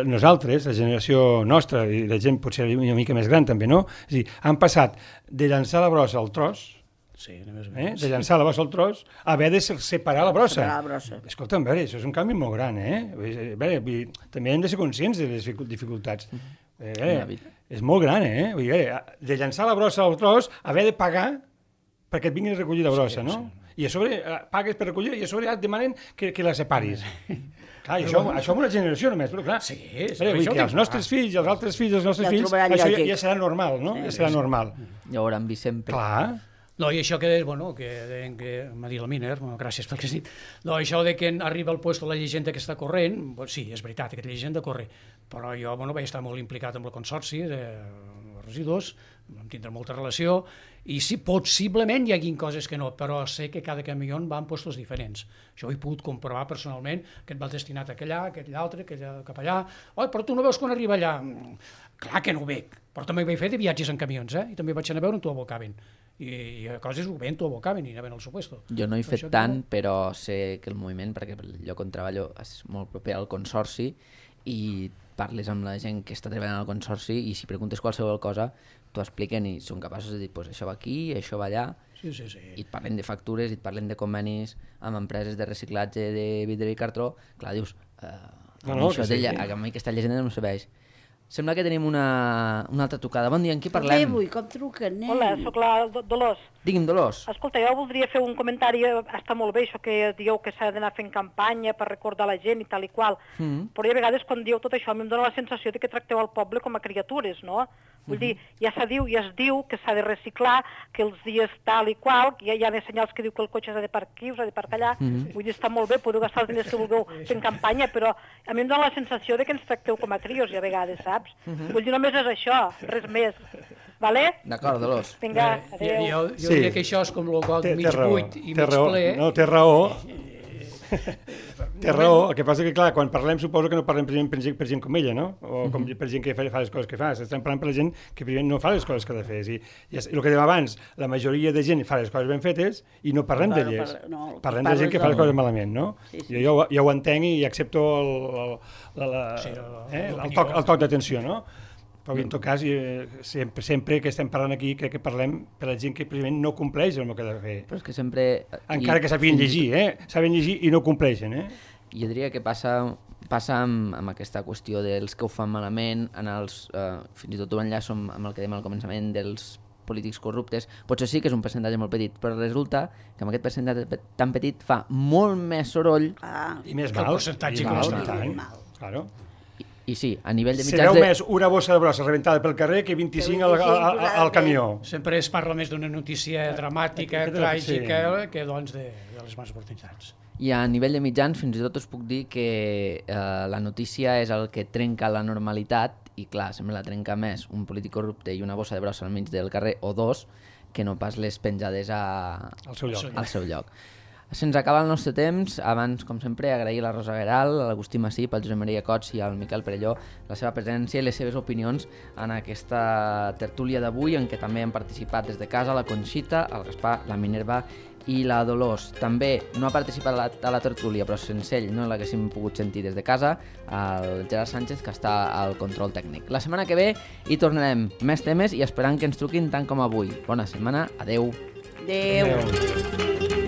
[SPEAKER 3] nosaltres, la generació nostra, i la gent potser una mica més gran també, no? És a dir, han passat de llançar la brossa al tros, de llançar la brossa al tros, a haver de separar la brossa. Escolta'm, a veure, això és un canvi molt gran, A veure, també hem de ser conscients de les dificultats. És molt gran, Vull dir, de llançar la brossa al tros, haver de pagar perquè et vinguin a recollir la brossa, no? I a sobre pagues per recollir i a sobre et demanen que la separis. Clar, això amb una generació només, però clar, els nostres fills, els altres fills dels nostres fills, això ja serà normal, no? Ja serà normal.
[SPEAKER 1] Ja ho hauran vist sempre.
[SPEAKER 3] Clar,
[SPEAKER 5] No, i això que deien que m'ha dit la Miner, gràcies pel que has dit, no, això de que arriba al puesto la llegenda que està corrent, sí, és veritat, aquesta llegenda corre, però jo vaig estar molt implicat amb el consorci de residus, vam tindre molta relació, i sí, possiblement hi hagin coses que no, però sé que cada camió va en puestos diferents. Això ho he pogut comprovar personalment, que et va destinat a allà, aquell altre, cap allà. Oh, però tu no veus quan arriba allà? Clar que no ho veig, però també vaig fer de viatges en camions, i també vaig anar a veure on t'ho abocaven. I a coses ho veien, t'ho abocaven i anaven al seu puesto.
[SPEAKER 1] Jo no he fet tant, però sé que el moviment, perquè el lloc on treballo és molt proper al consorci, i parles amb la gent que està treballant al consorci i si preguntes qualsevol cosa t'ho expliquen i són capaços de dir pues això va aquí, això va allà,
[SPEAKER 5] sí.
[SPEAKER 1] I et parlen de factures, i et parlen de convenis amb empreses de reciclatge de vidre i cartró. Clar, dius, a mi aquesta llegenda no em serveix. Sembla que tenim una altra trucada. Bon dia, amb qui parlem?
[SPEAKER 2] Avui, com truquen, nen?
[SPEAKER 9] Hola, sóc la Dolors.
[SPEAKER 1] Digui'm, Dolors.
[SPEAKER 9] Escolta, jo voldria fer un comentari, està molt bé això que dieu que s'ha d'anar fent campanya per recordar la gent i tal i qual, però a vegades quan dieu tot això a mi em dóna la sensació de que tracteu el poble com a criatures, no? Vull dir, ja es diu que s'ha de reciclar, que els dies tal i qual, que hi ha senyals que diu que el cotxe s'ha de parcar aquí, s'ha de parcar allà, vull dir, està molt bé, podeu gastar els diners que vulgueu fent campanya, però a mi em dóna la sensació de que ens tracteu com a crios i a vegades, saps? Vull dir, només és això, res més. Vale?
[SPEAKER 1] D'acord, Dolors.
[SPEAKER 9] Vinga, adéu.
[SPEAKER 5] Jo diria que això és com el got mig buit i mig ple.
[SPEAKER 3] No, té raó. Té raó, el que passa que, clar, quan parlem suposo que no parlem per gent com ella, no? O per gent que fa les coses que fa. Estem parlant per la gent que primer no fa les coses que ha de fer. I el que dèiem abans, la majoria de gent fa les coses ben fetes i no parlem d'elles. Parlem de gent que fa les coses malament, no? Jo ja ho entenc i accepto el toc d'atenció, no? Però en tot cas, sempre que estem parlant aquí, crec que parlem per la gent que primer no compleix el que ha de fer.
[SPEAKER 1] Però és que sempre...
[SPEAKER 3] Encara que sàpiguen llegir, saben llegir i no compleixen,
[SPEAKER 1] Jo diria que passa amb aquesta qüestió dels que ho fan malament, fins i tot ho enllaço amb el que dèiem al començament dels polítics corruptes. Potser sí que és un percentatge molt petit, però resulta que amb aquest percentatge tan petit fa molt més soroll
[SPEAKER 3] i més mal. Claro.
[SPEAKER 1] I sí, a nivell de mitjans...
[SPEAKER 3] Se veu més una bossa de brossa rebentada pel carrer que 25 al camió.
[SPEAKER 5] Sempre es parla més d'una notícia dramàtica, tràgica, que doncs de les males oportunitats.
[SPEAKER 1] I a nivell de mitjans fins i tot us puc dir que la notícia és el que trenca la normalitat i clar, sembla la trenca més un polític corrupte i una bossa de brossa al mig del carrer o dos que no pas les penjades al seu lloc. Se'ns acaba el nostre temps. Abans, com sempre, agrair a la Rosa Gueral, a l'Agustí Massip, al Josep Maria Cots i al Miquel Perelló la seva presència i les seves opinions en aquesta tertúlia d'avui, en què també han participat des de casa la Conxita, el Gaspar, la Minerva i la Dolors. També no ha participat a la tertúlia, però sense ell no l'haguéssim pogut sentir des de casa, el Gerard Sánchez, que està al control tècnic. La setmana que ve hi tornarem més temes i esperant que ens truquin tant com avui. Bona setmana, adeu.
[SPEAKER 2] Adeu.